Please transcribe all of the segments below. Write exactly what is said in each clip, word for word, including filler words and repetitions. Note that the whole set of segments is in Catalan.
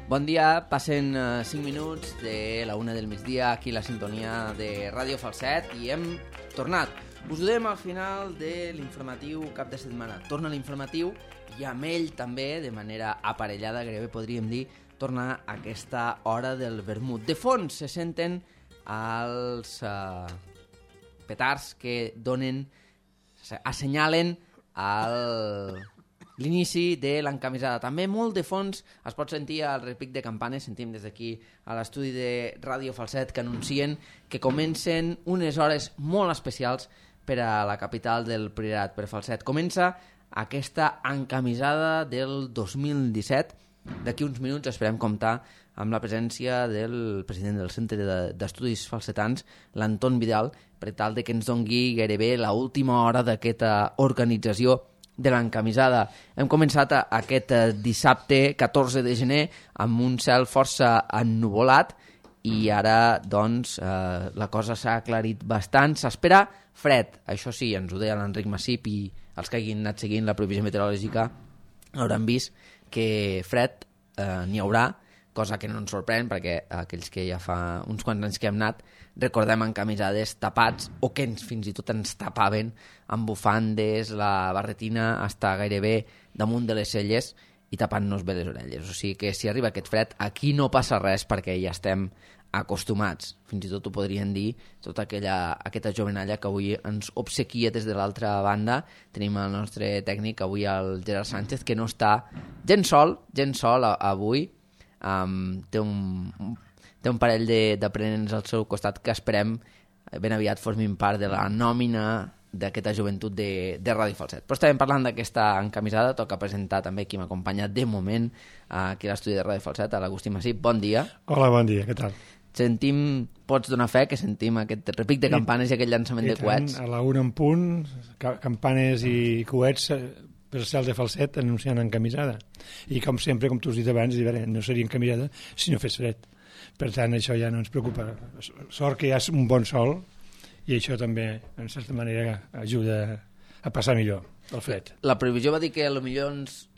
Bon dia, passen uh, cinc minuts de la una del migdia aquí a la sintonia de Ràdio Falset i hem tornat. Us donem al final de l'informatiu cap de setmana. Torna l'informatiu i amb ell també, de manera aparellada, gairebé podríem dir, torna aquesta hora del vermut. De fons se senten els uh, petards que donen, assenyalen el... l'inici de l'encamisada. També molt de fons es pot sentir el repic de campanes, sentim des d'aquí a l'estudi de Ràdio Falset que anuncien que comencen unes hores molt especials per a la capital del Priorat, per Falset. Comença aquesta encamisada del dos mil disset. D'aquí uns minuts esperem comptar amb la presència del president del Centre d'Estudis Falsetans, l'Anton Vidal, per tal de que ens dongui gairebé l'última hora d'aquesta organització de l'encamisada. Hem començat aquest dissabte catorze de gener amb un cel força ennuvolat i ara doncs eh, la cosa s'ha aclarit bastant. S'espera fred, això sí, ens ho deia l'Enric Massip i els que hagin anat seguint la previsió meteorològica hauran vist que fred eh, n'hi haurà, cosa que no ens sorprèn perquè aquells que ja fa uns quants anys que hem anat recordem encamisades tapats o que ens, fins i tot ens tapaven amb bufandes, la barretina està gairebé damunt de les celles i tapant-nos bé les orelles. O sigui que si arriba aquest fred, aquí no passa res perquè ja estem acostumats. Fins i tot ho podrien dir tota aquella, aquesta jovenalla que avui ens obsequia des de l'altra banda. Tenim el nostre tècnic avui, el Gerard Sánchez, que no està gens sol, gens sol avui. Um, té un... té un parell d'aprenents al seu costat que esperem ben aviat formin part de la nòmina d'aquesta joventut de, de Ràdio Falset. Però estàvem parlant d'aquesta encamisada, toca presentar també qui m'acompanya de moment aquí a l'estudi de Ràdio Falset, a l'Agustí Massip. Bon dia. Hola, bon dia, què tal? Sentim, pots donar fe que sentim aquest repic de campanes i, i aquest llançament i de coets? A la una en punt, campanes i coets per cel de Falset anunciant encamisada. I com sempre, com tu has dit abans, no seria encamisada si no fes fred. Per tant, això ja no ens preocupa. Sort que hi ha un bon sol i això també, en certa manera, ajuda a passar millor el fred. La previsió va dir que potser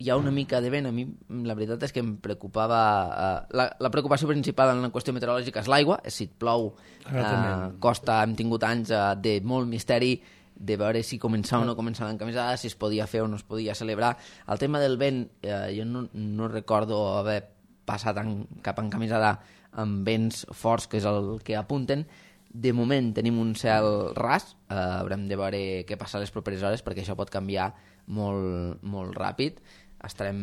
hi ha una mica de vent. A mi la veritat és que em preocupava... Eh, la, la preocupació principal en la qüestió meteorològica és l'aigua. Si et plou, eh, costa, hem tingut anys eh, de molt misteri de veure si començava o no començava l'encamisada, si es podia fer o no es podia celebrar. El tema del vent, eh, jo no, no recordo haver passat en, cap encamisada amb vents forts, que és el que apunten. De moment tenim un cel ras, eh, haurem de veure què passa a les properes hores perquè això pot canviar molt, molt ràpid. Estarem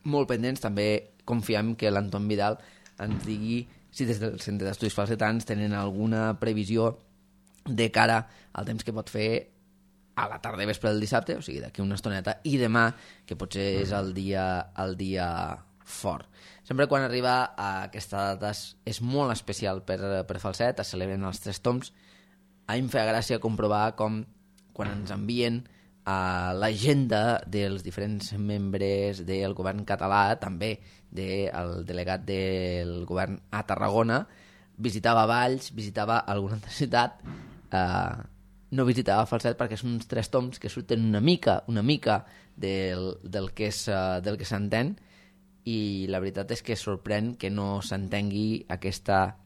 molt pendents, també confiem que l'Anton Vidal ens digui si des del Centre d'Estudis Falsetans tenen alguna previsió de cara al temps que pot fer a la tarda i vespre del dissabte, o sigui d'aquí una estoneta, i demà, que potser és el dia, el dia fort. Sempre quan arriba a aquesta data és molt especial per, per Falset, es celebren els tres toms. A mi em feia gràcia comprovar com quan ens envien a l'agenda dels diferents membres del govern català, també del delegat del govern a Tarragona, visitava Valls, visitava alguna altra ciutat, eh, no visitava Falset perquè són uns tres toms que surten una mica, una mica del, del que és, uh, del que s'entén, i la veritat és que sorprèn que no s'entengui aquesta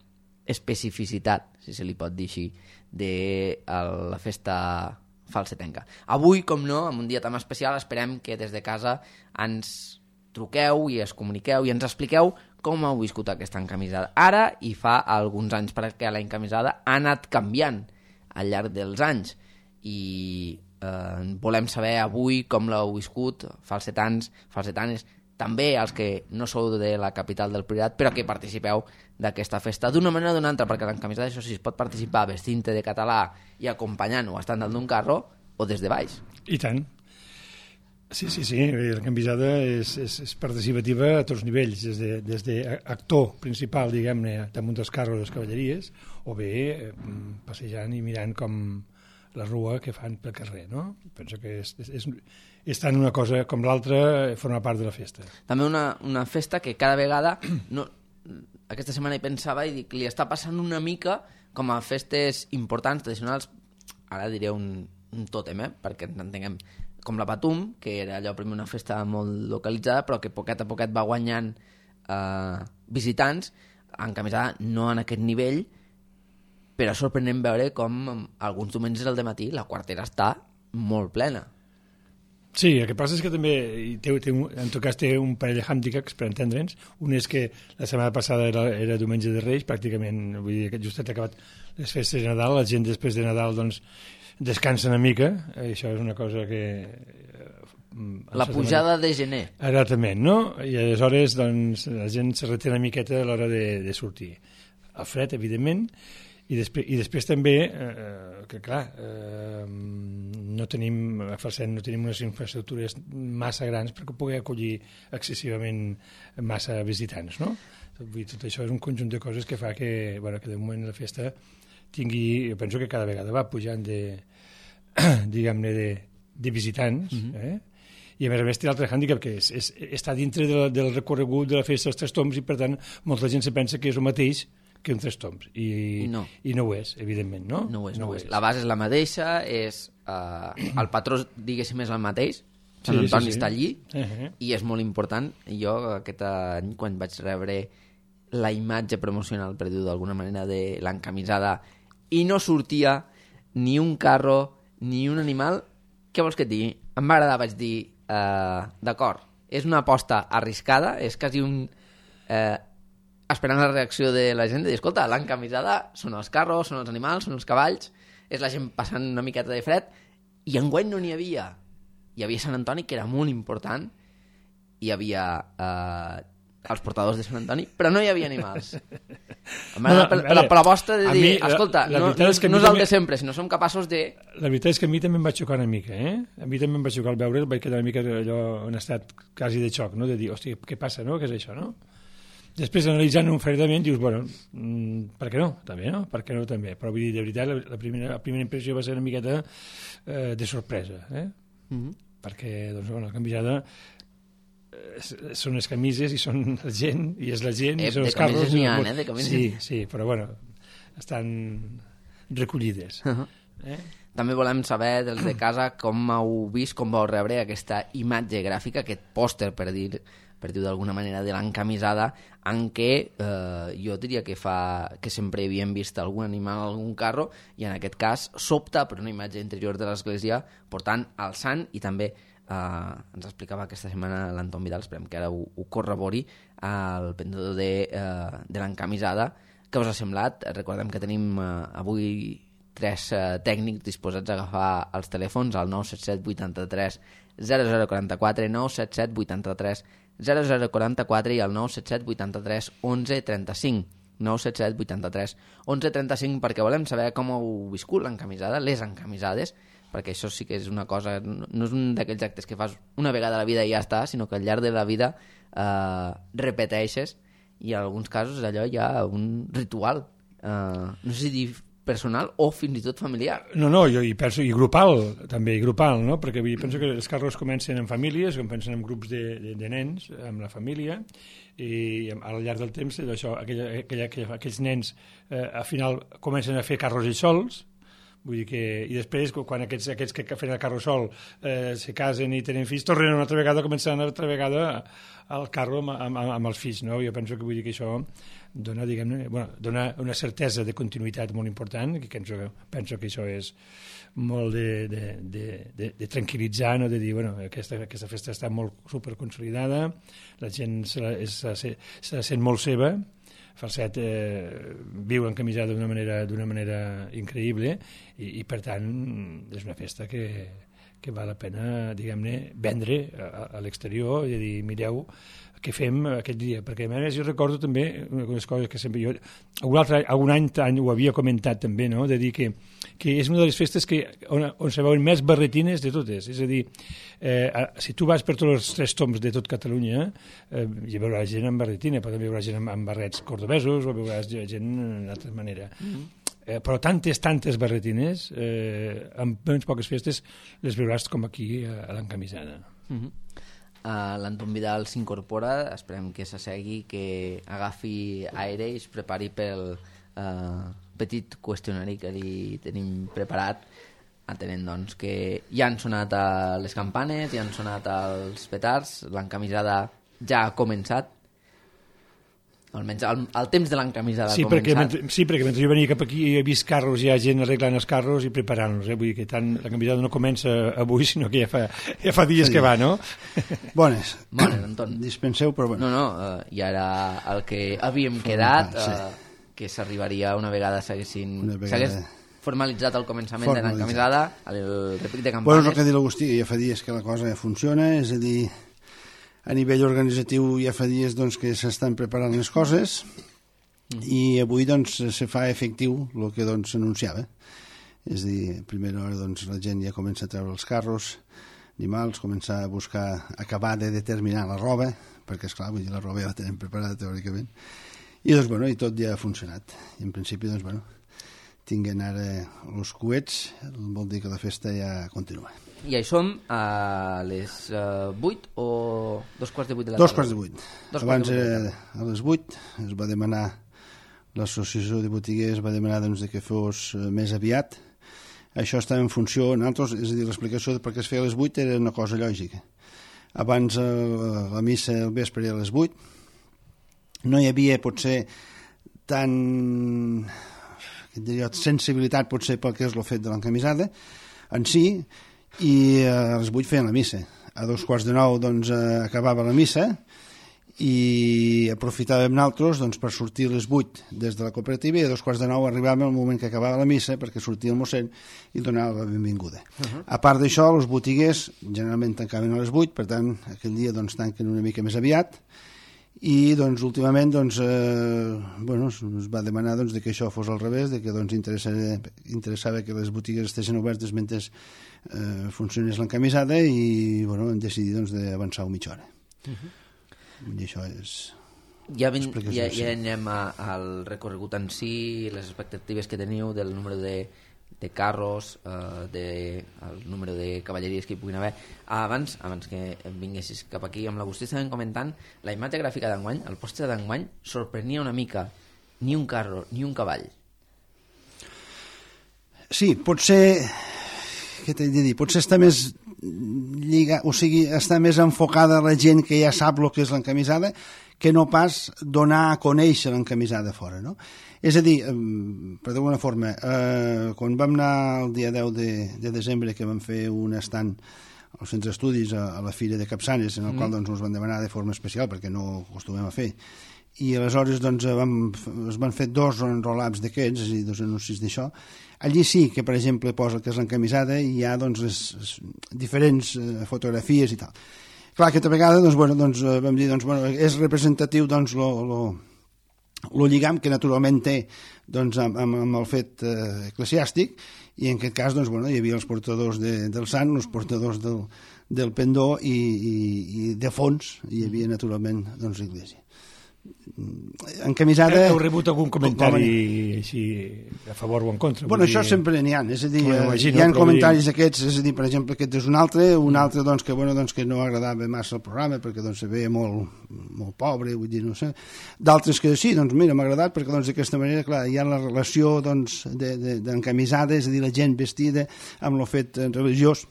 especificitat, si se li pot dir així, de la festa falsetenca. Avui, com no, en un dia tan especial, esperem que des de casa ens truqueu i es comuniqueu i ens expliqueu com heu viscut aquesta encamisada. Ara, i fa alguns anys perquè la encamisada ha anat canviant al llarg dels anys i eh, volem saber avui com l'heu viscut, falsetans, falsetanes, també als que no sou de la capital del Priorat, però que participeu d'aquesta festa d'una manera o d'una altra, perquè l'encamisada, això sí, es pot participar vestint-te de català i acompanyant o estant dalt d'un carro, o des de baix. I tant. Sí, sí, sí, l'encamisada és, és, és participativa a tots nivells, des de, des de actor principal, diguem-ne, damunt dels carros de les cavalleries, o bé eh, passejant i mirant com la rua que fan pel carrer, no? Penso que és, és, és tant una cosa com l'altra, forma part de la festa. També una, una festa que cada vegada, no, aquesta setmana hi pensava i dic, li està passant una mica com a festes importants, tradicionals, ara diré un, un tòtem, eh? Perquè ens entenguem, com la Patum, que era allò primer una festa molt localitzada, però que poquet a poquet va guanyant eh, visitants, encamisada no en aquest nivell, però és sorprenent veure com alguns diumenges al dematí la quartera està molt plena. Sí, el que passa és que també, té, té un, en tot cas té un parell de hàndicaps per entendre'ns. Un és que la setmana passada era, era diumenge de Reis, pràcticament, vull dir que just ha acabat les festes de Nadal, la gent després de Nadal doncs descansa una mica, això és una cosa que... La pujada de gener. Exactament, no? I aleshores doncs, la gent se reté una miqueta a l'hora de, de sortir. El fred, evidentment, i després, i després també, eh, que clar, eh, no tenim, a Falset no tenim unes infraestructures massa grans perquè pugui acollir excessivament massa visitants, no? Tot això és un conjunt de coses que fa que, bueno, que de moment la festa tingui, jo penso que cada vegada va pujant de, diguem-ne, de, de visitants, uh-huh. eh? I a més a més té l'altre hàndicap, que és, és, està dintre de la, del recorregut de la festa dels Tres Tombs i per tant molta gent se pensa que és el mateix que un Tres Tombs, i no, i no ho és, evidentment, no? No ho és, no, no ho és. La base és la mateixa, és, uh, el patró, diguéssim, és el mateix, Sant sí, Antoni sí, sí. està allí, uh-huh. i és molt important. Jo aquest any, quan vaig rebre la imatge promocional, per dir-ho d'alguna manera, de l'encamisada, i no sortia ni un carro ni un animal, què vols que et digui? Em va agradar, vaig dir, uh, d'acord, és una aposta arriscada, és quasi un... Uh, esperant la reacció de la gent, de dir, escolta, l'encamisada són els carros, són els animals, són els cavalls, és la gent passant una miqueta de fred, i enguany no n'hi havia. Hi havia Sant Antoni, que era molt important, hi havia eh, els portadors de Sant Antoni, però no hi havia animals. No, per, per, per la vostra de dir, mi, escolta, la, la no, no, és no és el de sempre, sinó som capaços de... La veritat és que a mi també em va xocar una mica, eh? A mi també em va xocar al veure, vaig quedar una mica allò en estat quasi de xoc, no? De dir, hòstia, què passa, no? Què és això, no? Després, analitzant un fredament, dius, bueno, mm, per què no? També, no? Per què no també? Però vull dir, de veritat, la, la, primera, la primera impressió va ser una miqueta eh, de sorpresa, eh? Mm-hmm. Perquè, doncs, bueno, la canviada eh, són les camises i són la gent, i és la gent, eh, i són els carros. De camises n'hi ha, eh? De camises. Sí, sí, però, bueno, estan recollides. Uh-huh. Eh? També volem saber dels de casa com heu vist, com vau rebre aquesta imatge gràfica, aquest pòster, per dir per dir d'alguna manera, de l'encamisada, en què eh, jo diria que fa que sempre havíem vist algun animal, algun carro, i en aquest cas s'opta per una imatge interior de l'església portant el sant, i també eh, ens explicava aquesta setmana l'Anton Vidal, esperem que ara ho, ho corrobori, el pendedor de, eh, de l'encamisada. Què us ha semblat? Recordem que tenim eh, avui tres eh, tècnics disposats a agafar els telèfons al nou set set vuitanta-tres zero zero quaranta-quatre, nou set set vuitanta-tres zero zero quaranta-quatre i al nou set set vuitanta-tres onze trenta-cinc, nou set set vuitanta-tres onze trenta-cinc, perquè volem saber com heu viscut l'encamisada, les encamisades, perquè això sí que és una cosa, no és un d'aquells actes que fas una vegada a la vida i ja està, sinó que al llarg de la vida eh, repeteixes, i en alguns casos allò hi ha un ritual, eh, no sé si dir personal o fins i tot familiar. No, no, jo hi penso, i grupal, també, i grupal, no? Perquè jo penso que els carros comencen en famílies, comencen en grups de, de, de nens, amb la família, i al llarg del temps, això, aquella, aquella, aquella, aquells nens eh, al final comencen a fer carros ells sols, vull dir que, i després quan aquests, aquests que fan el carro sol eh, se casen i tenen fills, tornen una altra vegada, començant una altra vegada al carro amb, amb, amb els fills, no? Jo penso que vull dir que això dona, diguem-ne, bueno, dona una certesa de continuïtat molt important, que penso, penso que això és molt de, de, de, de, de tranquil·litzar, no? De dir, bueno, aquesta, aquesta festa està molt superconsolidada, la gent se la, se, se, se la sent molt seva, Falset eh, viu encamisada d'una manera, d'una manera increïble, i, i per tant és una festa que, que val la pena, diguem-ne, vendre a, a l'exterior i dir, mireu què fem aquest dia, perquè a més jo recordo també una de les coses que sempre jo algun, altre, algun any, any ho havia comentat també, no? De dir que, que és una de les festes que, on, on se veuen més barretines de totes, és a dir, eh, si tu vas per tots els tres toms de tot Catalunya eh, hi veuràs gent amb barretina, però també hi veuràs gent amb, amb barrets cordobesos o veuràs gent d'una altra manera. Mm-hmm. Eh, però tantes, tantes barretines eh, amb menys poques festes les veuràs com aquí a, a l'encamisada. Mm-hmm. Uh, l'Anton Vidal s'incorpora, esperem que s'assegui, que agafi aire i es prepari pel uh, petit qüestionari que li tenim preparat, atenent doncs, que ja han sonat uh, les campanes, ja han sonat els petards, l'encamisada ja ha començat, almenys el, el temps de l'encamisada sí, ha començat. Perquè mentre, sí, perquè mentre jo venia cap aquí he vist carros, hi ha gent arreglant els carros i preparant-los, eh? Vull dir que tant, l'encamisada no comença avui, sinó que ja fa, ja fa dies sí. que va, no? Bones. Bones, Anton. Dispenseu, però bueno. No, no, uh, ja era el que havíem quedat, uh, sí. que s'arribaria una vegada s'haguessin... S'hagués formalitzat el començament de l'encamisada, el repic de campanes... Bueno, és el que ha dit l'Agustí, ja fa dies que la cosa ja funciona, és a dir... A nivell organitzatiu ja fa dies doncs, que s'estan preparant les coses mm. i avui doncs, se fa efectiu el que doncs, s'anunciava. És a dir, a primera hora doncs, la gent ja comença a treure els carros, animals, comença a buscar, acabar de determinar la roba, perquè esclar, vull dir, la roba ja la tenim preparada teòricament, i doncs, bueno, i tot ja ha funcionat. I en principi, doncs, bueno, tinguen ara els coets, vol dir que la festa ja continua. I hi som a les uh, vuit o dos quarts de vuit de la tarda? Dos quarts de vuit. Dos Abans de vuit era a les vuit, es va demanar, l'associació de botiguers va demanar doncs, que fos més aviat. Això està en funció, nosaltres, és a dir, l'explicació de per què es feia a les vuit era una cosa lògica. Abans eh, la missa al vespre era a les vuit, no hi havia potser tant diria, sensibilitat potser pel que és el fet de l'encamisada en si, i a les vuit feien la missa. A dos quarts de nou doncs, acabava la missa i aprofitàvem nosaltres doncs, per sortir a les vuit des de la cooperativa i a dos quarts de nou arribàvem al moment que acabava la missa perquè sortia el mossèn i donava la benvinguda. Uh-huh. A part d'això, els botiguers generalment tancaven a les vuit, per tant, aquell dia doncs, tanquen una mica més aviat i doncs, últimament doncs, eh, bueno, es va demanar doncs, de que això fos al revés, de que doncs, interessava, interessava que les botigues estiguessin obertes mentre eh, funcionés l'encamisada i bueno, hem decidit doncs, d'avançar una mitja hora. Uh-huh. I això és... Ja, ben, ja, ja anem a, al recorregut en si, les expectatives que teniu del número de, de carros, eh, de, el número de cavalleries que hi puguin haver. Abans, abans que vinguessis cap aquí, amb l'Agustí estàvem comentant la imatge gràfica d'enguany, el pòster d'enguany sorprenia una mica, ni un carro ni un cavall. Sí, potser... Què t'he de dir? Potser està més lliga, o sigui, està més enfocada la gent que ja sap el que és l'encamisada que no pas donar a conèixer l'encamisada fora, no? És a dir, per d'alguna forma, eh, quan vam anar el dia deu de, de desembre que vam fer un estand als centres d'estudis a, a la Fira de Capçanes, en el mm. qual doncs, ens van demanar de forma especial perquè no ho acostumem a fer, i aleshores doncs, vam, es van fer dos enroll-ups d'aquests, és a dir, dos anuncis d'això. Allí sí que, per exemple, posa que és l'encamisada i hi ha doncs, les, les diferents eh, fotografies i tal. Clar, aquesta vegada doncs, bueno, doncs, vam dir doncs, bueno, és representatiu doncs, lo, lo, lo lligam que naturalment té doncs, amb, amb el fet eh, eclesiàstic, i en aquest cas doncs, bueno, hi havia els portadors de, del sant, els portadors del, del pendó i, i, i de fons hi havia naturalment doncs, l'església. Encamisada... Heu rebut algun comentari així a favor o en contra? Bueno, això dir... sempre n'hi ha, és a dir, imagino, hi ha comentaris dir... aquests, és a dir, per exemple, aquest és un altre, un mm. altre doncs, que, bueno, doncs, que no agradava massa el programa perquè doncs, se veia molt, molt pobre, vull dir, no sé. D'altres que sí, doncs mira, m'ha agradat perquè doncs, d'aquesta manera, clar, hi ha la relació doncs, d'encamisada, de, de, és a dir, la gent vestida amb el fet religiós.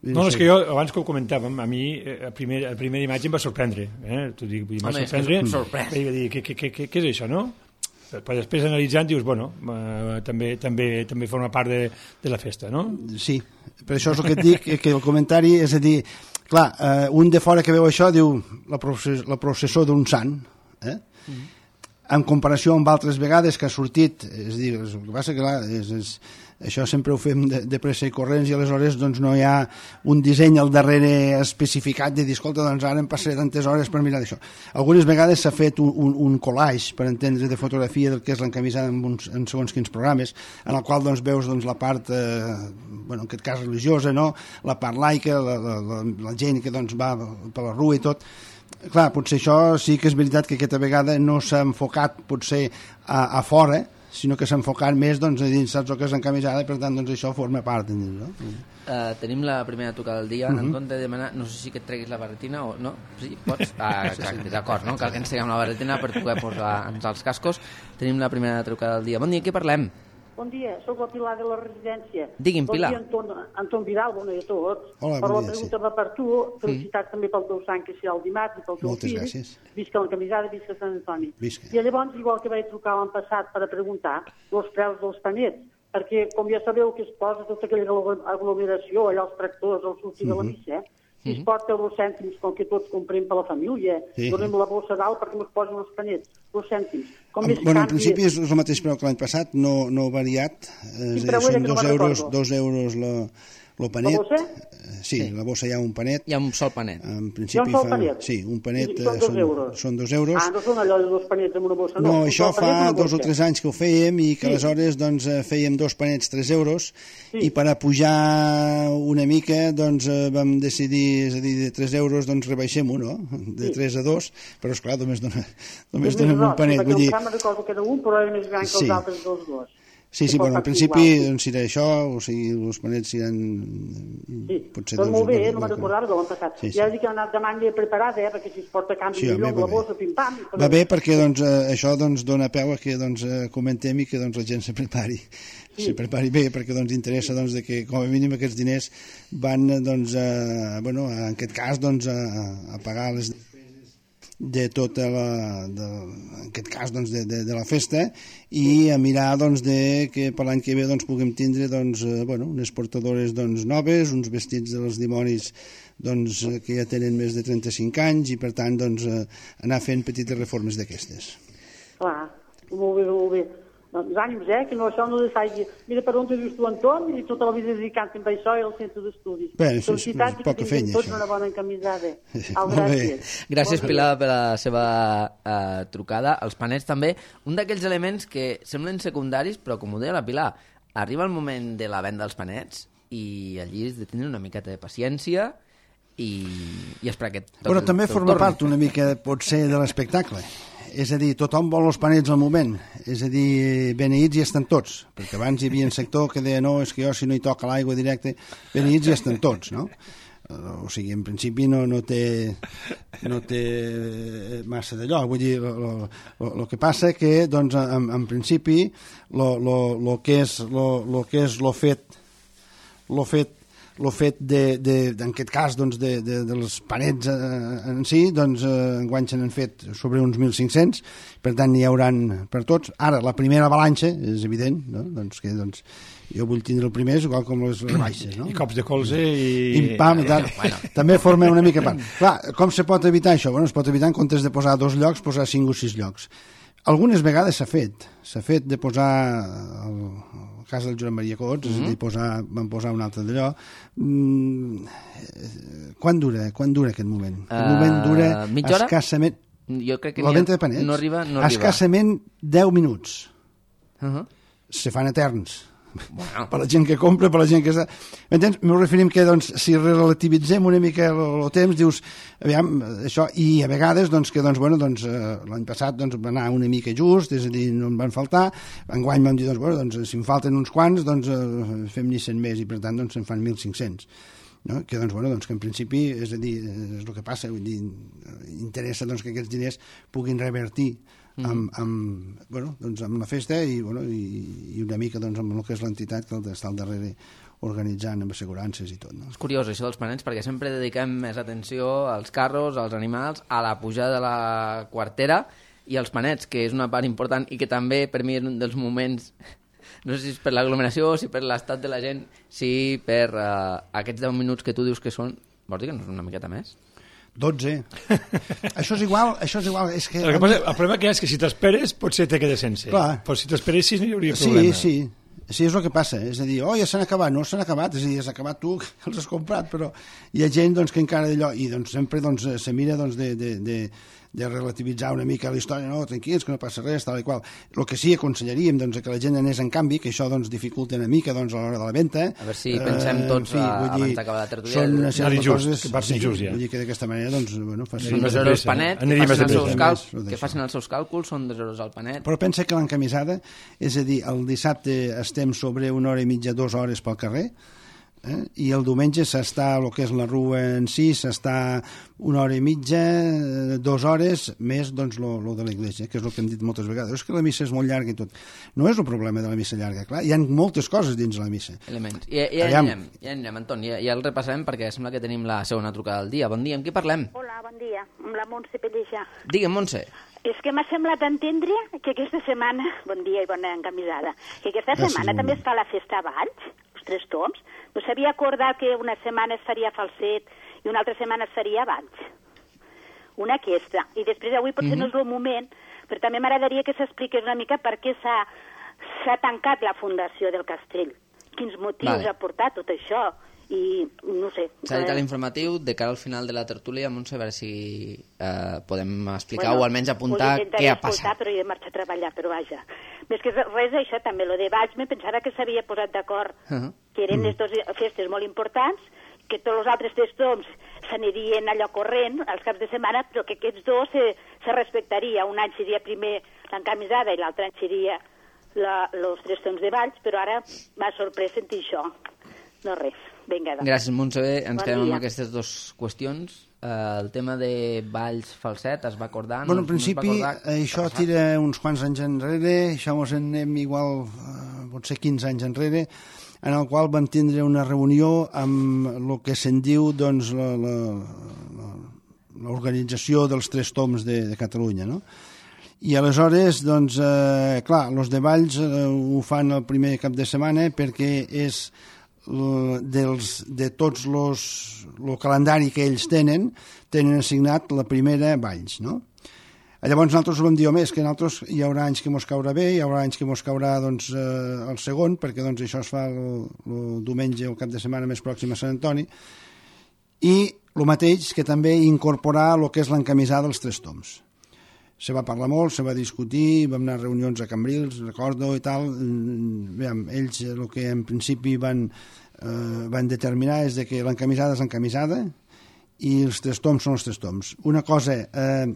No, és que jo, abans que ho comentàvem, a mi la primera, la primera imatge em va sorprendre. Eh? T'ho dic, em va sorprendre. I va dir, què, què, què, què és això, no? Però després analitzant dius, bueno, eh, també, també, també forma part de, de la festa, no? Sí, per això és el que et dic, que el comentari és a dir, clar, eh, un de fora que veu això diu la, process, la processó d'un sant, eh? Mm-hmm. en comparació amb altres vegades que ha sortit, és a dir, el que passa que clar, és, és, això sempre ho fem de, de pressa i corrents i aleshores doncs, no hi ha un disseny al darrere especificat de dir, escolta, doncs ara em passaré tantes hores per mirar d'això. Algunes vegades s'ha fet un, un, un collage, per entendre, de fotografia del que és l'encamisada en, uns, en segons quins programes, en el qual doncs, veus doncs, la part, eh, bueno, en aquest cas religiosa, no? La part laica, la, la, la, la gent que doncs, va per la rua i tot. Clar, potser això sí que és veritat que aquesta vegada no s'ha enfocat potser a, a fora, sinó que s'ha enfocat més doncs, a dins, saps el que és encamisada, i per tant doncs, això forma part. No? Uh, tenim la primera trucada del dia. Uh -huh. En compte de demanar, no sé si que et treguis la barretina o no, sí, pots? Ah, exacte, d'acord, no? Cal que ens treguem la barretina per poder posar-nos els cascos. Tenim la primera trucada del dia. Bon dia, què parlem? Bon dia, sóc la Pilar de la residència. Digui'm, Pilar. Bon dia, Anton, Anton Vidal, bon dia a tots. Hola, per bon la dia, pregunta sí. va per tu, felicitats mm. també pel teu sant que serà el dimarts i pel teu Moltes fill. gràcies. Visca la camisada, visca Sant Antoni. Visca. I llavors, igual que vaig trucar l'any passat per a preguntar els preus dels panets, perquè, com ja sabeu que es posa tota aquella aglomeració, allà els tractors, el sortir mm -hmm. de la missa, eh? Si es porta dos cèntims, com que tots comprem per la família, sí. donem la bossa dalt perquè ens posin els panets, dos cèntims. Com Amb, bueno, en principi és el mateix preu que l'any passat, no, no variat, eh, sí, són dos euros, dos euros la, el panet. La bossa? Sí, sí, la bossa hi ha un panet. Hi ha un sol panet. En principi hi ha un sol fa, panet? Sí, un panet. I són dos són, euros. Són dos euros. Ah, no són allò de dos panets amb una bossa, no. No, un això fa dos o bossa. tres anys que ho fèiem i que Sí. aleshores doncs, fèiem dos panets tres euros Sí. i per a pujar una mica doncs, vam decidir, és a dir, de tres euros doncs rebaixem-ho, no? De Sí. tres a dos, però esclar, només, dona, només És donem més un panet. Perquè Vull dir, el camp recordo que era un, però era més gran que Sí. els altres dos dos. sí, sí, Que bueno, en pot principi igual, sí. doncs, serà això, o sigui, els panets seran Sí, potser doncs dos. molt bé, dos- eh? no me'n dos- recordava de l'any passat. Sí, sí. Ja dic que he anat de manga preparada, eh? perquè si es porta canvi Sí, sí, home, millor, va la bé. bossa, pim-pam. Va bé perquè doncs, eh, això doncs, dona peu a que doncs, eh, comentem i que doncs, la gent se prepari. Sí. Se prepari bé perquè doncs, interessa doncs, de que com a mínim aquests diners van eh, doncs, a, bueno, en aquest cas doncs, a, a pagar les de tota la, de, en aquest cas doncs, de, de, de la festa i a mirar doncs, de que per l'any que ve doncs, puguem tindre doncs, eh, bueno, unes portadores doncs, noves, uns vestits dels dimonis doncs, que ja tenen més de trenta-cinc anys i per tant doncs, eh, anar fent petites reformes d'aquestes. Clar, molt bé, molt bé. Doncs ànims, eh, que no, això no deixagi... Mira per on te dius tu, Anton, i tota la vida dedicant-te a això i al centre d'estudis. Bé, és, és, Felicitats és i poca que tinguin feina, tots això. una bona encamisada. Au, Molt bé. gràcies. Gràcies, Pilar, per la seva uh, trucada. Els panets també, un d'aquells elements que semblen secundaris, però com ho deia la Pilar, arriba el moment de la venda dels panets i allí has de tenir una miqueta de paciència i, i esperar que... Però també forma part una mica, potser, de l'espectacle. És a dir, tothom vol els panets al moment. És a dir, beneïts hi estan tots. Perquè abans hi havia un sector que deia no, és que jo si no hi toca l'aigua directe, beneïts hi estan tots, no? O sigui, en principi no, no té no té massa d'allò. Vull dir, el que passa que, doncs, en, en principi, el que és lo que és lo fet lo fet el fet de, de, en aquest cas doncs, de, de, dels panets eh, en si, doncs eh, enguany se n'han fet sobre uns mil cinc-cents, per tant n'hi hauran per tots. Ara, la primera avalanxa, és evident, no? doncs, que doncs, jo vull tindre el primer, igual com les baixes. No? I cops de colze i... I pam, i tal. Bueno. També forma una mica part. Clar, com se pot evitar això? Bueno, es pot evitar en comptes de posar dos llocs, posar cinc o sis llocs. Algunes vegades s'ha fet. S'ha fet de posar... El, cas del Joan Maria Cots, mm -hmm. és a dir, posar, van posar un altre d'allò. Mm, quan dura quan dura aquest moment? Uh, aquest moment dura mitja hora? escassament... Jo crec que la venda de panets? No arriba, no escassament deu minuts. Uh -huh. Se fan eterns. Bueno. Per la gent que compra, per la gent que està... M'entens? M'ho referim que, doncs, si relativitzem una mica el, el temps, dius, aviam, això, i a vegades, doncs, que, doncs, bueno, doncs, eh, l'any passat, doncs, va anar una mica just, és a dir, no en van faltar, enguany vam dir, doncs, bueno, doncs, si en falten uns quants, doncs, eh, fem-n'hi cent més, i per tant, doncs, se'n fan mil cinc-cents. No? Que, doncs, bueno, doncs, que en principi, és a dir, és el que passa, vull dir, interessa, doncs, que aquests diners puguin revertir amb, amb, bueno, doncs amb la festa i, bueno, i, i una mica doncs, amb el que és l'entitat que està al darrere organitzant amb assegurances i tot. No? És curiós això dels panets perquè sempre dediquem més atenció als carros, als animals, a la pujada de la quartera i als panets, que és una part important i que també per mi és un dels moments, no sé si és per l'aglomeració, si per l'estat de la gent, si per uh, aquests deu minuts que tu dius que són, vols dir que no és una miqueta més? dotze. Això és igual, això és igual. És que... El, que passa, el problema que hi ha és que si t'esperes potser te queda sense. Clar. Però si t'esperessis no hi hauria sí, problema. Sí, sí. Sí, és el que passa. És a dir, oh, ja s'han acabat. No s'han acabat, és a dir, has acabat tu, que els has comprat, però hi ha gent doncs, que encara d'allò... I doncs, sempre doncs, se mira doncs, de, de, de, de relativitzar una mica la història. No, tranquils, que no passa res, tal i qual. El que sí aconsellaríem doncs, que la gent anés en canvi, que això doncs, dificulta una mica doncs, a l'hora de la venda. A veure si pensem tots, uh, fi, a, abans d'acabar la tertúlia. Són una sèrie de coses... Que passi just, ja. Vull dir que d'aquesta manera, doncs, bueno, facin... Són dos euros el panet, que facin, els seus cal... que facin els seus càlculs, són dos euros al panet. Però pensa que l'encamisada, és a dir, el dissabte estem sobre una hora i mitja, dues hores pel carrer, eh? I el diumenge s'està, el que és la rua en si, s'està una hora i mitja, dues hores, més doncs lo, lo de l'església, que és el que hem dit moltes vegades. És que la missa és molt llarga i tot. No és el problema de la missa llarga, clar, hi ha moltes coses dins la missa. Elements. I, i ja anirem, ja anirem, Anton, ja, ja el repassarem perquè sembla que tenim la segona trucada del dia. Bon dia, amb qui parlem? Hola, bon dia, amb la Montse Pellejà. Digue'm, Montse. És que m'ha semblat entendre que aquesta setmana, bon dia i bona encamisada, que aquesta Gràcies, setmana també es fa la festa a Valls, els Tres Toms. No s'havia acordat que una setmana es faria a Falset i una altra setmana es faria a Valls. Una aquesta. I després avui potser mm-hmm. no és el moment, però també m'agradaria que s'expliqués una mica per què s'ha s'ha tancat la fundació del castell. Quins motius vale. Ha portat tot això. I no sé... S'ha dit a l'informatiu, de cara al final de la tertúlia, Montse, a veure si eh, podem explicar bueno, o almenys apuntar què ha passat. Però he de marxar a treballar, però vaja. Més que res, això també, lo de Valls, me pensava que s'havia posat d'acord, uh -huh. que eren mm. dos festes molt importants, que tots els altres tres toms s'anirien allò corrent als caps de setmana, però que aquests dos se, se respectaria. Un any seria primer l'encamisada i l'altre any seria els tres toms de Valls, però ara m'ha sorprès sentir això. No res. Vinga, doncs. Gràcies, Montse. Ens bon quedem dia. amb aquestes dues qüestions. Uh, el tema de Valls Falset es va acordar... Bueno, no, en principi, no acordar, això tira uns quants anys enrere, això ens en anem igual, uh, potser quinze anys enrere, en el qual vam tindre una reunió amb el que se'n diu doncs, l'organització dels Tres Toms de, de Catalunya, no? I aleshores, doncs, eh, clar, els de Valls eh, ho fan el primer cap de setmana perquè és dels, de tots los, el calendari que ells tenen, tenen assignat la primera Valls, no? Llavors nosaltres vam dir, home, és que nosaltres hi haurà anys que mos caurà bé, hi haurà anys que mos caurà doncs, eh, el segon, perquè doncs, això es fa el, el diumenge o el cap de setmana més pròxim a Sant Antoni, i el mateix que també incorporar el que és l'encamisada dels Tres Toms. Se va parlar molt, se va discutir, vam anar a reunions a Cambrils, recordo, i tal. Veiem, ells el que en principi van, eh, van determinar és de que l'encamisada és l'encamisada i els Tres Toms són els Tres Toms. Una cosa, eh,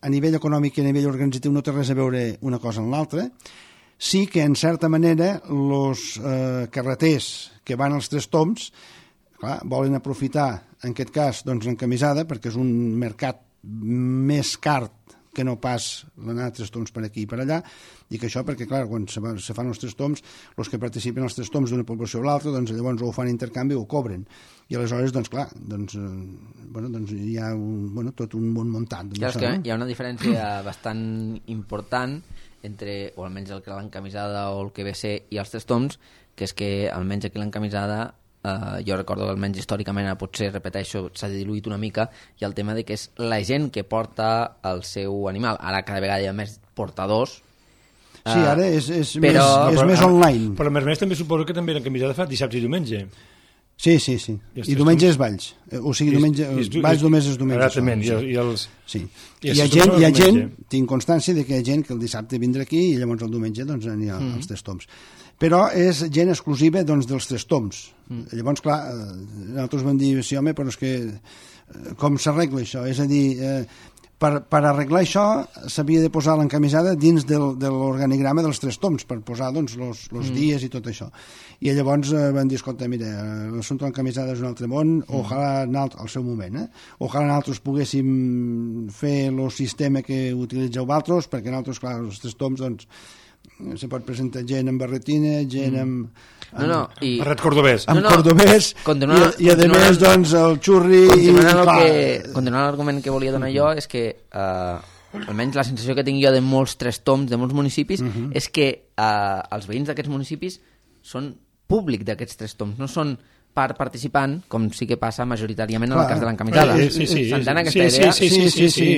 a nivell econòmic i a nivell organitzatiu no té res a veure una cosa amb l'altra. Sí que, en certa manera, els eh, carreters que van als Tres Toms clar, volen aprofitar, en aquest cas, doncs, l'encamisada, perquè és un mercat més car que no pas l'anar a Tres Toms per aquí i per allà, i que això perquè, clar, quan se, va, se fan els Tres Toms, els que participen als Tres Toms d'una població o l'altra, doncs llavors o ho fan intercanvi o ho cobren. I aleshores, doncs clar, doncs, eh, bueno, doncs hi ha un, bueno, tot un món muntat. Ja és que no? Hi ha una diferència bastant important entre, o almenys el que l'encamisada o el que ve a ser i els Tres Toms, que és que almenys aquí l'encamisada Uh, jo recordo que almenys històricament potser, repeteixo, s'ha diluït una mica i el tema de que és la gent que porta el seu animal. Ara cada vegada hi ha més portadors. Uh, sí, ara és, és, però, més, és però, més online. Però a més a més també suposo que també l'encamisada fa dissabte i diumenge. Sí, sí, sí. I, I diumenge és Valls. O sigui, diumenge, i, i, Valls només és diumenge. Exactament. I, i els... Sí. I hi ha gent, hi ha gent, tinc constància de que hi ha gent que el dissabte vindrà aquí i llavors el diumenge doncs anirà mm. als Tres Toms. Però és gent exclusiva doncs, dels Tres Toms. Mm. Llavors, clar, nosaltres vam dir, sí, home, però és que com s'arregla això? És a dir, eh, per, per arreglar això s'havia de posar l'encamisada dins del, de l'organigrama dels Tres Toms, per posar doncs, los, los mm. dies i tot això. I llavors eh, van dir, escolta, mira, l'assumpte de l'encamisada és un altre món, mm. ojalà al seu moment, eh? Ojalà nosaltres poguéssim fer el sistema que utilitzeu vosaltres, perquè nosaltres, clar, els Tres Toms, doncs, se pot presentar gent amb barretina, gent amb... amb no, no, i... barret cordobès. Amb no, no. cordobès, continuant, i, i a més, doncs, el xurri... Continuant, i, el que, continuant l'argument que volia donar jo, és que, uh, almenys la sensació que tinc jo de molts Tres Toms, de molts municipis, uh -huh. és que uh, els veïns d'aquests municipis són públic d'aquests Tres Toms, no són part participant, com sí que passa majoritàriament en el cas de l'encamisada. Sí, sí, sí. S'entén aquesta idea? Sí, sí, sí, sí.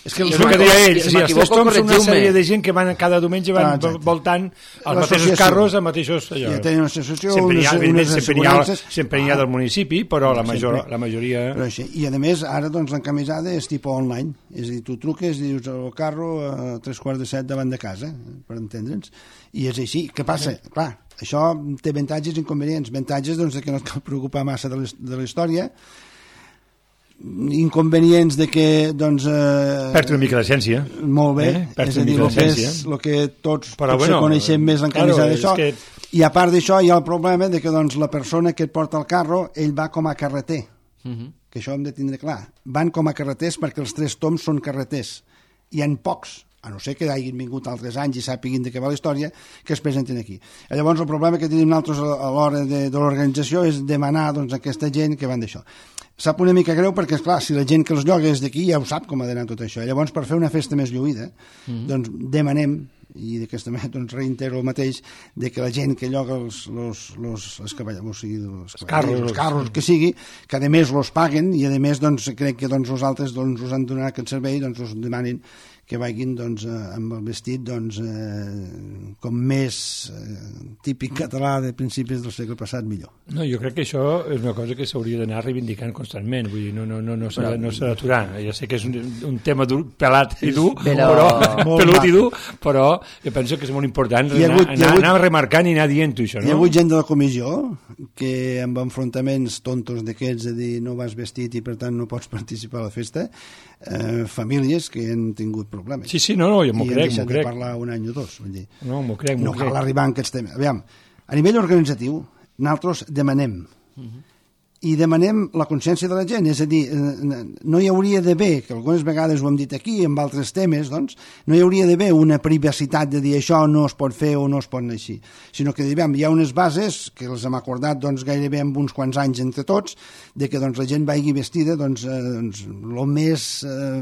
És que és el que deia ell, si sí, els tres toms són una sèrie de gent que van cada diumenge van ah, voltant els mateixos carros, els mateixos... Allò. Ja tenen una associació, sempre hi ha, unes, unes sempre hi ha, sempre hi ha del municipi, però la, major, la majoria... Però així. I a més, ara doncs, l'encamisada és tipus online, és a dir, tu truques i dius el carro a tres quarts de set davant de casa, per entendre'ns, i és així. Què passa? Clar, això té avantatges i inconvenients. Avantatges doncs, que no et cal preocupar massa de la història, inconvenients de que doncs, eh, perd una mica l'essència, molt bé, eh? és a dir, el que, és, el que tots però, potser bueno, coneixem més l'encamisada claro, d'això que... i a part d'això hi ha el problema de que doncs, la persona que et porta el carro ell va com a carreter, uh -huh. que això hem de tindre clar, van com a carreters perquè els tres toms són carreters, hi ha pocs, a no ser que hagin vingut altres anys i sàpiguin de què va la història, que es presenten aquí. I llavors el problema que tenim nosaltres a l'hora de, de l'organització és demanar doncs, a aquesta gent que van d'això. Sap una mica greu perquè, esclar, si la gent que els lloga és d'aquí ja ho sap com ha d'anar tot això. Llavors, per fer una festa més lluïda, mm-hmm. doncs demanem, i d'aquesta manera doncs, reitero el mateix, de que la gent que lloga els, los, los, els cavallers, o sigui, els, els carros, els carros que sigui, que a més los paguen i a més doncs, crec que doncs, nosaltres doncs, us han donat aquest servei, doncs us demanin que vagin doncs, amb el vestit doncs, eh, com més eh, típic català de principis del segle passat, millor. No, jo crec que això és una cosa que s'hauria d'anar reivindicant constantment, vull dir, no, no, no, no s'ha no d'aturar. Ja sé que és un, un tema dur, pelat i dur, però, però pelut i dur, però jo penso que és molt important anar, hagut, anar, hagut, anar remarcant i anar dient-ho, això, no? Hi ha hagut gent de la comissió que amb enfrontaments tontos d'aquests, de dir no vas vestit i per tant no pots participar a la festa, eh, famílies que han tingut problemes. Sí, sí, no, no, jo m'ho crec, m'ho crec. I han deixat de parlar un any o dos, vull dir. No, m'ho crec, m'ho no crec. No cal arribar a aquests temes. Aviam, a nivell organitzatiu, nosaltres demanem uh-huh. i demanem la consciència de la gent, és a dir, no hi hauria d'haver, que algunes vegades ho hem dit aquí, amb altres temes, doncs, no hi hauria d'haver una privacitat de dir això no es pot fer o no es pot anar així, sinó que diguem, hi ha unes bases que les hem acordat doncs, gairebé amb uns quants anys entre tots, de que doncs, la gent vagi vestida doncs, eh, doncs, el més eh,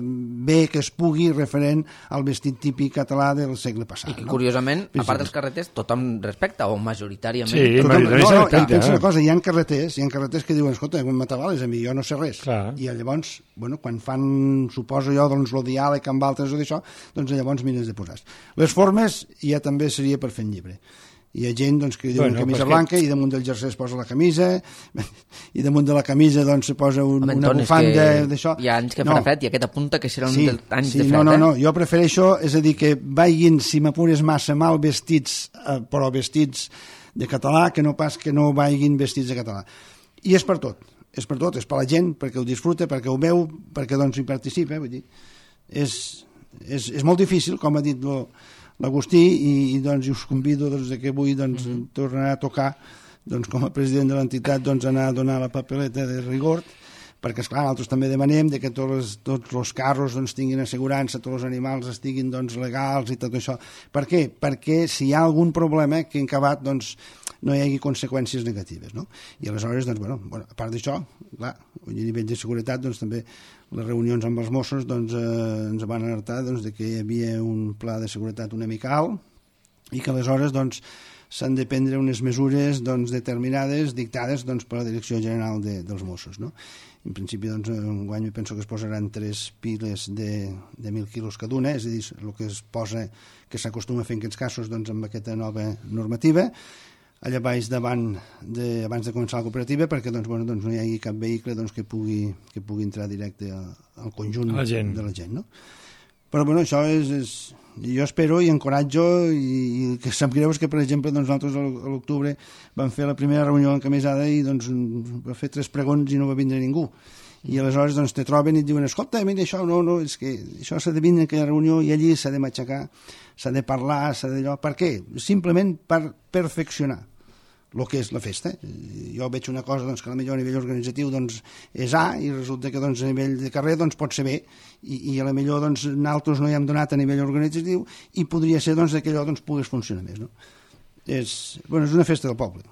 bé que es pugui referent al vestit típic català del segle passat. I que, no? curiosament, a part dels carreters, tothom respecta, o majoritàriament. Sí, tothom, majoritàriament no, no, respecta. i pensa una cosa, hi ha carreters, hi ha carreters que diuen escolta, com m'atabales a mi, jo no sé res. Clar. I llavors, bueno, quan fan, suposo jo, doncs, el diàleg amb altres o d'això, doncs llavors mires de posar. Les formes ja també seria per fer en llibre. Hi ha gent doncs, que diu bueno, camisa blanca que... i damunt del jersei es posa la camisa i damunt de la camisa doncs, se posa un, Home, una bufanda d'això. Hi ha anys que no. farà fred i aquest apunta que serà un sí, dels anys sí, de fred. No, no, eh? no, jo prefereixo, és a dir, que vagin, si m'apures massa mal vestits, eh, però vestits de català, que no pas que no vagin vestits de català. I és per tot, és per tot, és per la gent, perquè ho disfruta, perquè ho veu, perquè doncs hi participa, vull dir. És, és, és molt difícil, com ha dit lo, l'Agustí, i, i doncs us convido doncs, que avui doncs, mm-hmm. tornarà a tocar doncs, com a president de l'entitat doncs, anar a donar la papeleta de rigor, perquè esclar, nosaltres també demanem de que tots els, tots els carros doncs, tinguin assegurança, tots els animals estiguin doncs, legals i tot això. Per què? Perquè si hi ha algun problema que en acabat doncs, no hi hagi conseqüències negatives, no? I aleshores, doncs, bueno, bueno, a part d'això, clar, a nivell de seguretat, doncs, també les reunions amb els Mossos doncs, eh, ens van alertar doncs, de que hi havia un pla de seguretat una mica alt i que aleshores doncs, s'han de prendre unes mesures doncs, determinades, dictades doncs, per la Direcció General de, dels Mossos, no? En principi, doncs, un guany penso que es posaran tres piles de, de mil quilos cada una, és a dir, el que es posa, que s'acostuma a fer en aquests casos doncs, amb aquesta nova normativa, allà baix davant de, abans de començar la cooperativa, perquè doncs, bueno, doncs no hi hagi cap vehicle doncs, que, pugui, que pugui entrar directe al, al conjunt la gent. de la gent. No? Però bueno, això és, és... Jo espero i encoratjo i, i que sap greu és que, per exemple, doncs, nosaltres a l'octubre vam fer la primera reunió encamisada i doncs, va fer tres pregons i no va vindre ningú. I aleshores doncs, te troben i et diuen escolta, mira, això no, no, és que això s'ha de vindre a aquella reunió i allí s'ha de matxacar, s'ha de parlar, s'ha d'allò. Per què? Simplement per perfeccionar el que és la festa. Jo veig una cosa doncs, que a millor a nivell organitzatiu doncs, és A i resulta que doncs, a nivell de carrer doncs, pot ser B i, i a la millor doncs, nosaltres no hi hem donat a nivell organitzatiu i podria ser doncs, que allò doncs, pogués funcionar més. No? És, bueno, és una festa del poble.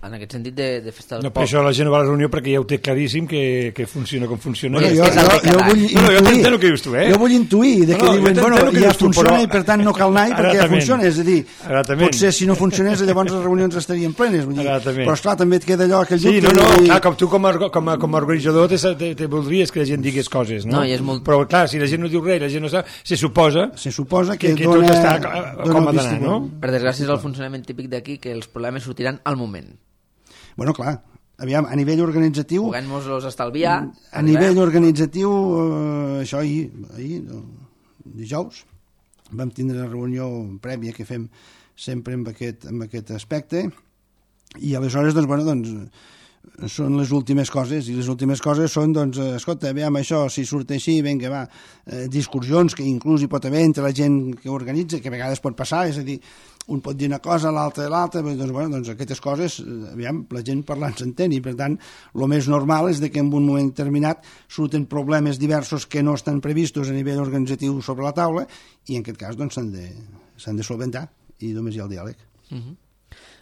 en aquest sentit de, de festa del no, per això la gent no va a la reunió perquè ja ho té claríssim que, que funciona com funciona. Bueno, És jo, que és el jo, de jo cada vull any. No, no, jo intuir, t'entén el que dius tu, eh? jo vull intuir de que No, no, jo diuen, t'entén bueno, el que ja dius tu, funciona però- i per tant no cal anar perquè ja Exactament. funciona, és a dir, Exactament. potser si no funcionés llavors les reunions estarien plenes, vull dir, Exactament. però esclar, també et queda allò aquell Sí, dubte no, no, de dir, clar, com tu com a, com a, com a organitzador te, te, te voldries que la gent digués coses, no? No, i és molt- Però clar, si la gent no diu res, la gent no sap, se suposa se suposa que, que, que dona, tot està dona com el ha d'anar, vistiplau. no? Per desgràcia és el funcionament típic d'aquí que els problemes sortiran al moment. Bueno, clar, aviam, a nivell organitzatiu, Puguem-nos-los estalviar. a nivell organitzatiu, eh, això ahir, ahir, no, dijous, vam tindre una reunió prèvia que fem sempre amb aquest, amb aquest aspecte, i aleshores, doncs, bueno, doncs, són les últimes coses, i les últimes coses són, doncs, eh, escolta, veiem això, si surt així, vinga, va, eh, discussions que inclús hi pot haver entre la gent que organitza, que a vegades pot passar, és a dir, un pot dir una cosa, l'altre l'altra, doncs, bueno, doncs aquestes coses, eh, aviam, la gent parlant s'entén, i per tant, el més normal és de que en un moment determinat surten problemes diversos que no estan previstos a nivell organitzatiu sobre la taula, i en aquest cas, doncs, s'han de, s'han de solventar, i només hi ha el diàleg. Uh -huh.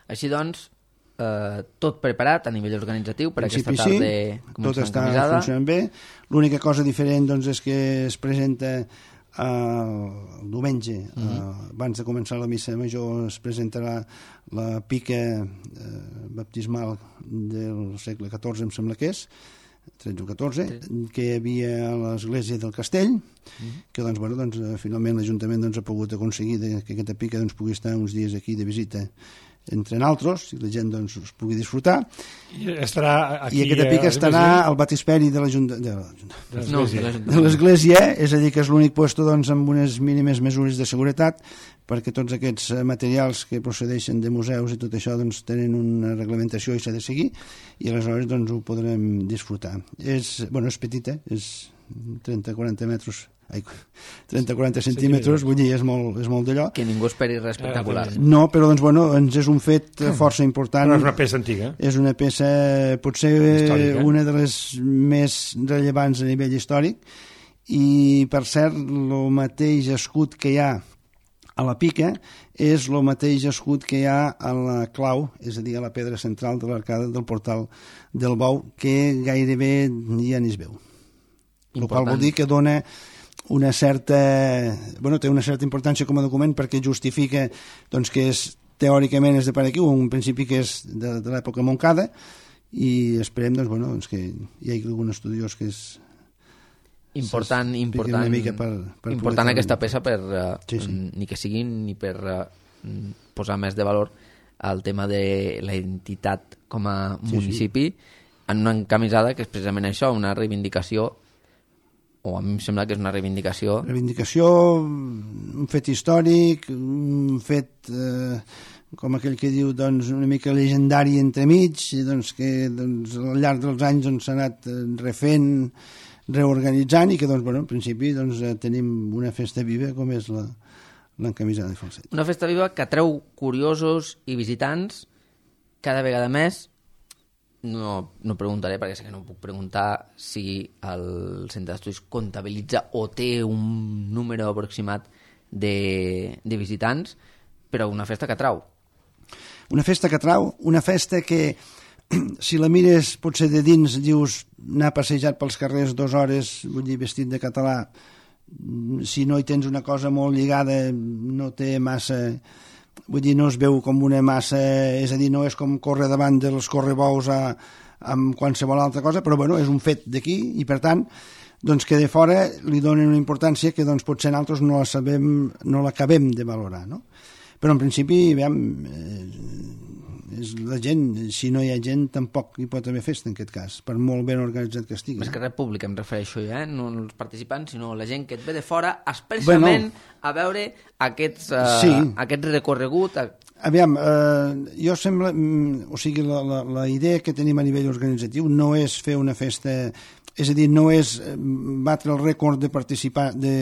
Així doncs, eh, tot preparat a nivell organitzatiu per aquesta principi tarda sí, tot començant està camisada. funcionant bé. L'única cosa diferent doncs, és que es presenta eh, el diumenge, uh -huh. eh, abans de començar la missa major, es presentarà la pica eh, baptismal del segle catorze, em sembla que és, tretze o catorze, que hi havia a l'església del Castell, uh -huh. que doncs, bueno, doncs, finalment l'Ajuntament doncs, ha pogut aconseguir de, que aquesta pica doncs, pugui estar uns dies aquí de visita entre naltros, i la gent doncs, es pugui disfrutar. I estarà aquí, I aquesta pica a estarà al batisperi de l'Ajuntament de, l'església. No, l'església. de l'Església, és a dir, que és l'únic puesto doncs, amb unes mínimes mesures de seguretat, perquè tots aquests eh, materials que procedeixen de museus i tot això doncs, tenen una reglamentació i s'ha de seguir, i aleshores doncs, ho podrem disfrutar. És, bueno, és petita, és trenta a quaranta metres, ai, trenta a quaranta centímetres, vull dir, és molt, és molt d'allò. Que ningú esperi res espectacular. Ah, No, però doncs, bueno, ens és un fet eh, força important. Però és una peça antiga. És una peça, potser Històrica. una de les més rellevants a nivell històric, i per cert, el mateix escut que hi ha a la pica és el mateix escut que hi ha a la clau, és a dir, a la pedra central de l'arcada del portal del Bou, que gairebé ja ni es veu. El qual vol dir que dona una certa, bueno, té una certa importància com a document perquè justifica doncs, que és, teòricament és de per aquí, un principi que és de, de l'època Montcada, i esperem doncs, bueno, doncs, que hi hagi algun estudiós que és Important, s'expliqui important, una mica per, per important poder aquesta fer-ho. peça per, uh, Sí, sí. ni que sigui ni per uh, posar més de valor al tema de la identitat com a municipi, sí, sí. en una encamisada que és precisament això, una reivindicació, o a mi em sembla que és una reivindicació... Reivindicació, un fet històric, un fet, eh, com aquell que diu, doncs, una mica legendari entremig, i doncs, que doncs, al llarg dels anys doncs, s'ha anat eh, refent, reorganitzant, i que, doncs, bueno, en principi doncs, eh, tenim una festa viva com és la, l'encamisada de Falset. Una festa viva que atreu curiosos i visitants cada vegada més. No, no preguntaré, perquè sé que no puc preguntar si el centre d'estudis comptabilitza o té un número aproximat de, de visitants, però una festa que atrau. Una festa que atrau, una festa que, si la mires potser de dins, dius anar passejat pels carrers dues hores, vull dir, vestit de català, si no hi tens una cosa molt lligada, no té massa... Vull dir, no es veu com una massa... És a dir, no és com córrer davant dels correbous a, amb qualsevol altra cosa, però bueno, és un fet d'aquí, i per tant, doncs que de fora li donen una importància que doncs, potser nosaltres no la sabem, no l'acabem de valorar, no? Però en principi, veiem, eh, és la gent, si no hi ha gent tampoc hi pot haver festa en aquest cas, per molt ben organitzat que estigui. Més que res públic em refereixo jo, eh? No els participants, sinó la gent que et ve de fora expressament bueno, a veure aquests, uh, sí. aquest recorregut. A... Aviam, eh, jo sembla, mm, o sigui, la, la, la idea que tenim a nivell organitzatiu no és fer una festa, és a dir, no és batre el rècord de participar, de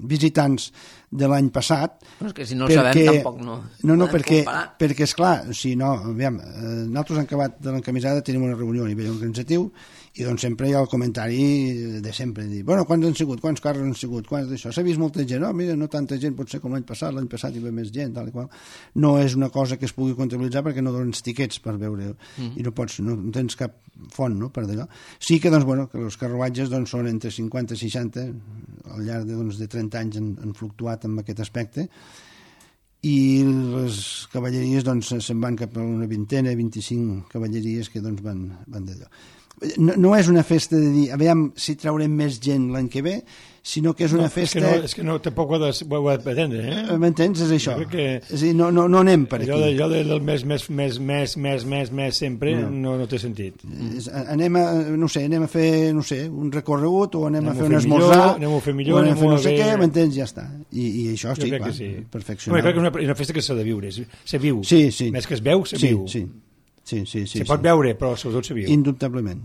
visitants de l'any passat. Però és que si no perquè, el sabem tampoc no... No, no, perquè, perquè esclar, si no, aviam, eh, nosaltres en acabat de l'encamisada tenim una reunió a nivell organitzatiu i doncs sempre hi ha el comentari de sempre, dir, bueno, quants han sigut, quants carros han sigut, quants d'això, s'ha vist molta gent, no, mira, no tanta gent pot ser com l'any passat, l'any passat hi va més gent, tal i qual. No és una cosa que es pugui comptabilitzar perquè no dones tiquets per veure, mm. i no pots, no, no tens cap font, no, per d'allò. Sí que, doncs, bueno, que els carruatges doncs, són entre cinquanta i seixanta, al llarg de, doncs, de trenta anys han, han fluctuat en aquest aspecte, i les cavalleries doncs, se'n van cap a una vintena, vint-i-cinc cavalleries que doncs, van, van d'allò. No, no és una festa de dir, aviam si traurem més gent l'any que ve, sinó que és una no, festa... És que no, és que no tampoc ho ha de, ho ha de pretendre, eh? M'entens? És això. Que... És a dir, no, no, no anem per aquí. Allò, de, allò del més, més, més, més, més, més, més sempre no, no, no té sentit. És, anem a, no sé, anem a fer, no sé, un recorregut o anem, anem a fer un esmorzar, anem a fer millor, o anem a fer no sé ver... què, m'entens? Ja està. I, i això, jo sí, clar, clar, sí. perfeccionar. No, crec que és una, una festa que s'ha de viure, se viu. Sí, sí. Més que es veu, se sí, viu. Sí, sí, sí. sí se sí, pot sí. veure, però sobretot se viu. Indubtablement.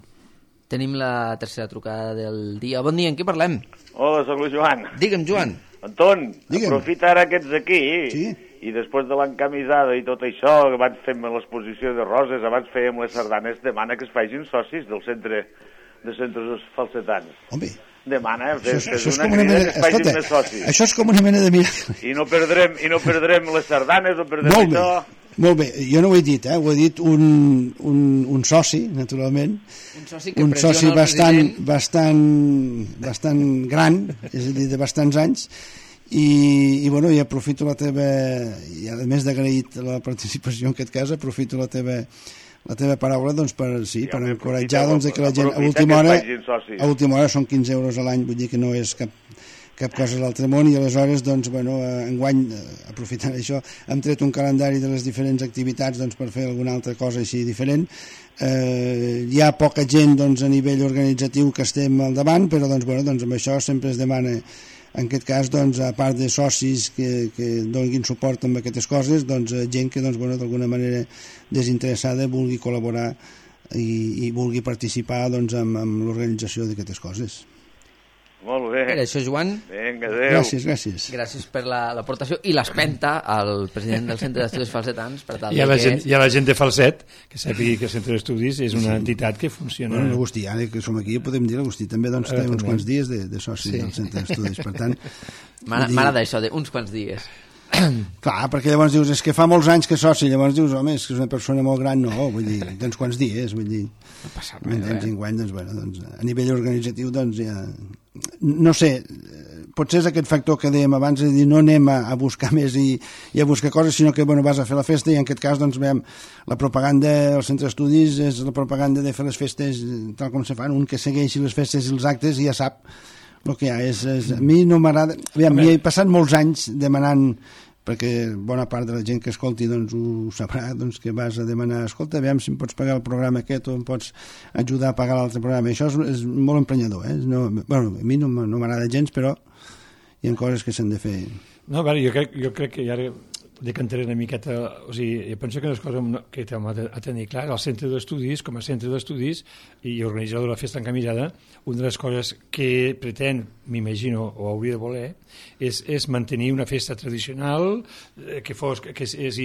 Tenim la tercera trucada del dia. Bon dia, en què parlem? Hola, soc el Joan. Digue'm, Joan. Anton, Digue'm. aprofita ara que ets aquí sí? i després de l'encamisada i tot això que abans fem l'exposició de roses, abans fèiem les sardanes, demana que es facin socis del centre de centres falsetans. Home, demana, això, fes, això, fes és una una crida mena, que es facin escolta, més socis. això és com una mena de miracle. I no perdrem, i no perdrem les sardanes, no perdrem Molt bé. això... Molt bé, jo no ho he dit, eh? Ho he dit un, un, un soci, naturalment, un soci, que un soci bastant, president... bastant, bastant gran, és a dir, de bastants anys, i, i, bueno, i aprofito la teva, i a més d'agraït la participació en aquest cas, aprofito la teva, la teva paraula doncs, per, sí, Ja, per home, encoratjar doncs, que la gent a aprofita última que hora, es facin socis. a última hora són quinze euros a l'any, vull dir que no és cap cap cosa de l'altre món, i aleshores doncs, bueno, enguany, aprofitant això, hem tret un calendari de les diferents activitats doncs, per fer alguna altra cosa així diferent. Eh, hi ha poca gent doncs, a nivell organitzatiu que estem al davant, però doncs, bueno, doncs, amb això sempre es demana, en aquest cas, doncs, a part de socis que, que donin suport amb aquestes coses, doncs, gent que doncs, bueno, d'alguna manera desinteressada vulgui col·laborar i, i vulgui participar doncs, amb, amb l'organització d'aquestes coses. Molt bé. Era això, Joan. Vinga, adéu. Gràcies, gràcies. Gràcies per l'aportació i l'espenta al president del Centre d'Estudis Falsetans. Per tal I a la, que... gent, i a la gent de Falset, que sàpigui que el Centre d'Estudis és una sí. entitat que funciona... Bueno, l'Agustí, ara que som aquí, podem dir l'Agustí també doncs, té eh, uns també. quants dies de, de soci sí. del Centre d'Estudis, per tant... M'agrada això, d'uns quants dies. Clar, perquè llavors dius, és que fa molts anys que és soci, llavors dius, home, és que és una persona molt gran, no, vull dir, tens quants dies, vull dir, no passa res, eh? Enguany, doncs, bueno, doncs, a nivell organitzatiu, doncs, ja... No sé, potser és aquest factor que dèiem abans, és dir, no anem a, a buscar més i, i a buscar coses, sinó que, bueno, vas a fer la festa i en aquest cas, doncs, veiem, la propaganda del Centre d'Estudis és la propaganda de fer les festes tal com se fan, un que segueixi les festes i els actes i ja sap el que hi ha. És, és, a mi no m'agrada... M'hi he passat molts anys demanant, perquè bona part de la gent que escolti doncs, ho sabrà, doncs, que vas a demanar, escolta, aviam si em pots pagar el programa aquest o em pots ajudar a pagar l'altre programa. Això és, és molt emprenyador. Eh? No, bueno, a mi no, no m'agrada gens, però hi ha coses que s'han de fer. No, vale, jo, crec, jo crec que ja decantaré una miqueta, o sigui, jo penso que una cosa que hem de tenir clar, el centre d'estudis, com a centre d'estudis i organitzador de la festa encamisada, una de les coses que pretén, m'imagino, o hauria de voler, és, és mantenir una festa tradicional eh, que, fos, que, que, és,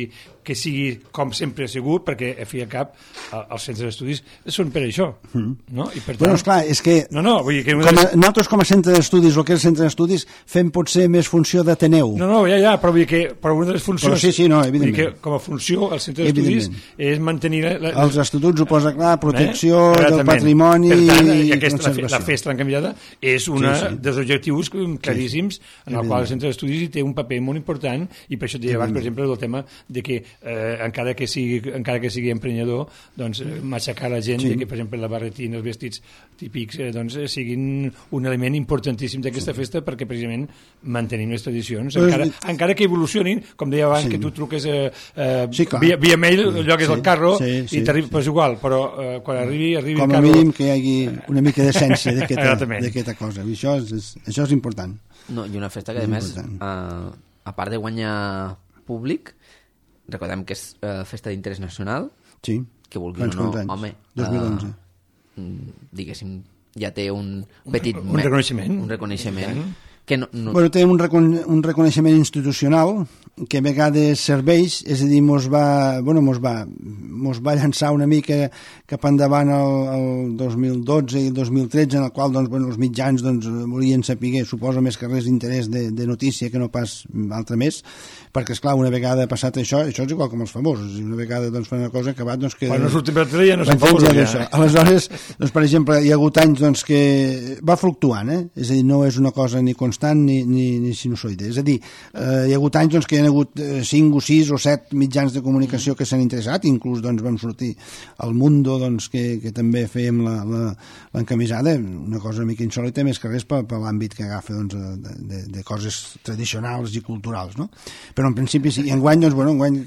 que sigui com sempre ha sigut, perquè a fi i a cap els centres d'estudis són per això, mm. no? I per tant... Bueno, esclar, és que, no, no, vull dir que com a, nosaltres com a centre d'estudis, el que és el centre d'estudis, fem potser més funció d'Ateneu. No, no, ja, ja, però vull dir que però una de les funcions... Però sí, sí, no, evidentment. Vull dir que com a funció el centre d'estudis és mantenir... La, la, els estatuts ho posa clar, protecció eh? del patrimoni per tant, i aquesta, conservació. La, la festa encamisada és un sí, sí. dels objectius claríssims sí, sí. en el qual el centre d'estudis hi té un paper molt important i per això et deia abans, per exemple, del tema de que eh, encara que sigui encara que sigui emprenyador, doncs matxacar la gent sí. de que, per exemple, la barretina, els vestits típics, eh, doncs siguin un element importantíssim d'aquesta sí. festa perquè precisament mantenim les tradicions, pues, encara, eh, encara que evolucionin, com deia abans, sí. que tu truques eh, eh, sí, via, via mail, sí. llogues sí. el carro sí, sí, i t'arriba, sí. pues igual, però eh, quan arribi, arribi com el carro... Com a mínim que hi hagi una mica d'essència d'aquesta cosa, i això és, això és important. No, i una festa que, a més, a, a part de guanyar públic, recordem que és uh, festa d'interès nacional, sí. que vulgui o no, home, dos mil onze. Uh, diguéssim, ja té un petit... Un, un reconeixement. Un reconeixement Que no, no... Bueno, tenim un, recon un reconeixement institucional que a vegades serveix, és a dir, mos va, bueno, mos va, mos va llançar una mica cap endavant el, el dos mil dotze i el dos mil tretze, en el qual doncs, bueno, els mitjans doncs, volien saber, suposo més que res d'interès de, de notícia que no pas altre més, perquè esclar, una vegada passat això, això és igual com els famosos, una vegada doncs, fan una cosa acabat, doncs que... Quan no surtin per tele ja no són famosos, ja. Ja. Aleshores, doncs, per exemple, hi ha hagut anys doncs, que va fluctuant, eh? És a dir, no és una cosa ni constant ni, ni, ni sinusoide. És a dir, eh, hi ha hagut anys doncs, que hi ha hagut cinc o sis o set mitjans de comunicació que s'han interessat, inclús doncs, vam sortir al Mundo, doncs, que, que també fèiem l'encamisada, una cosa una mica insòlita, més que res per, per l'àmbit que agafa doncs, de, de, de coses tradicionals i culturals, no? Però en principi sí, i enguany, doncs, bueno, enguany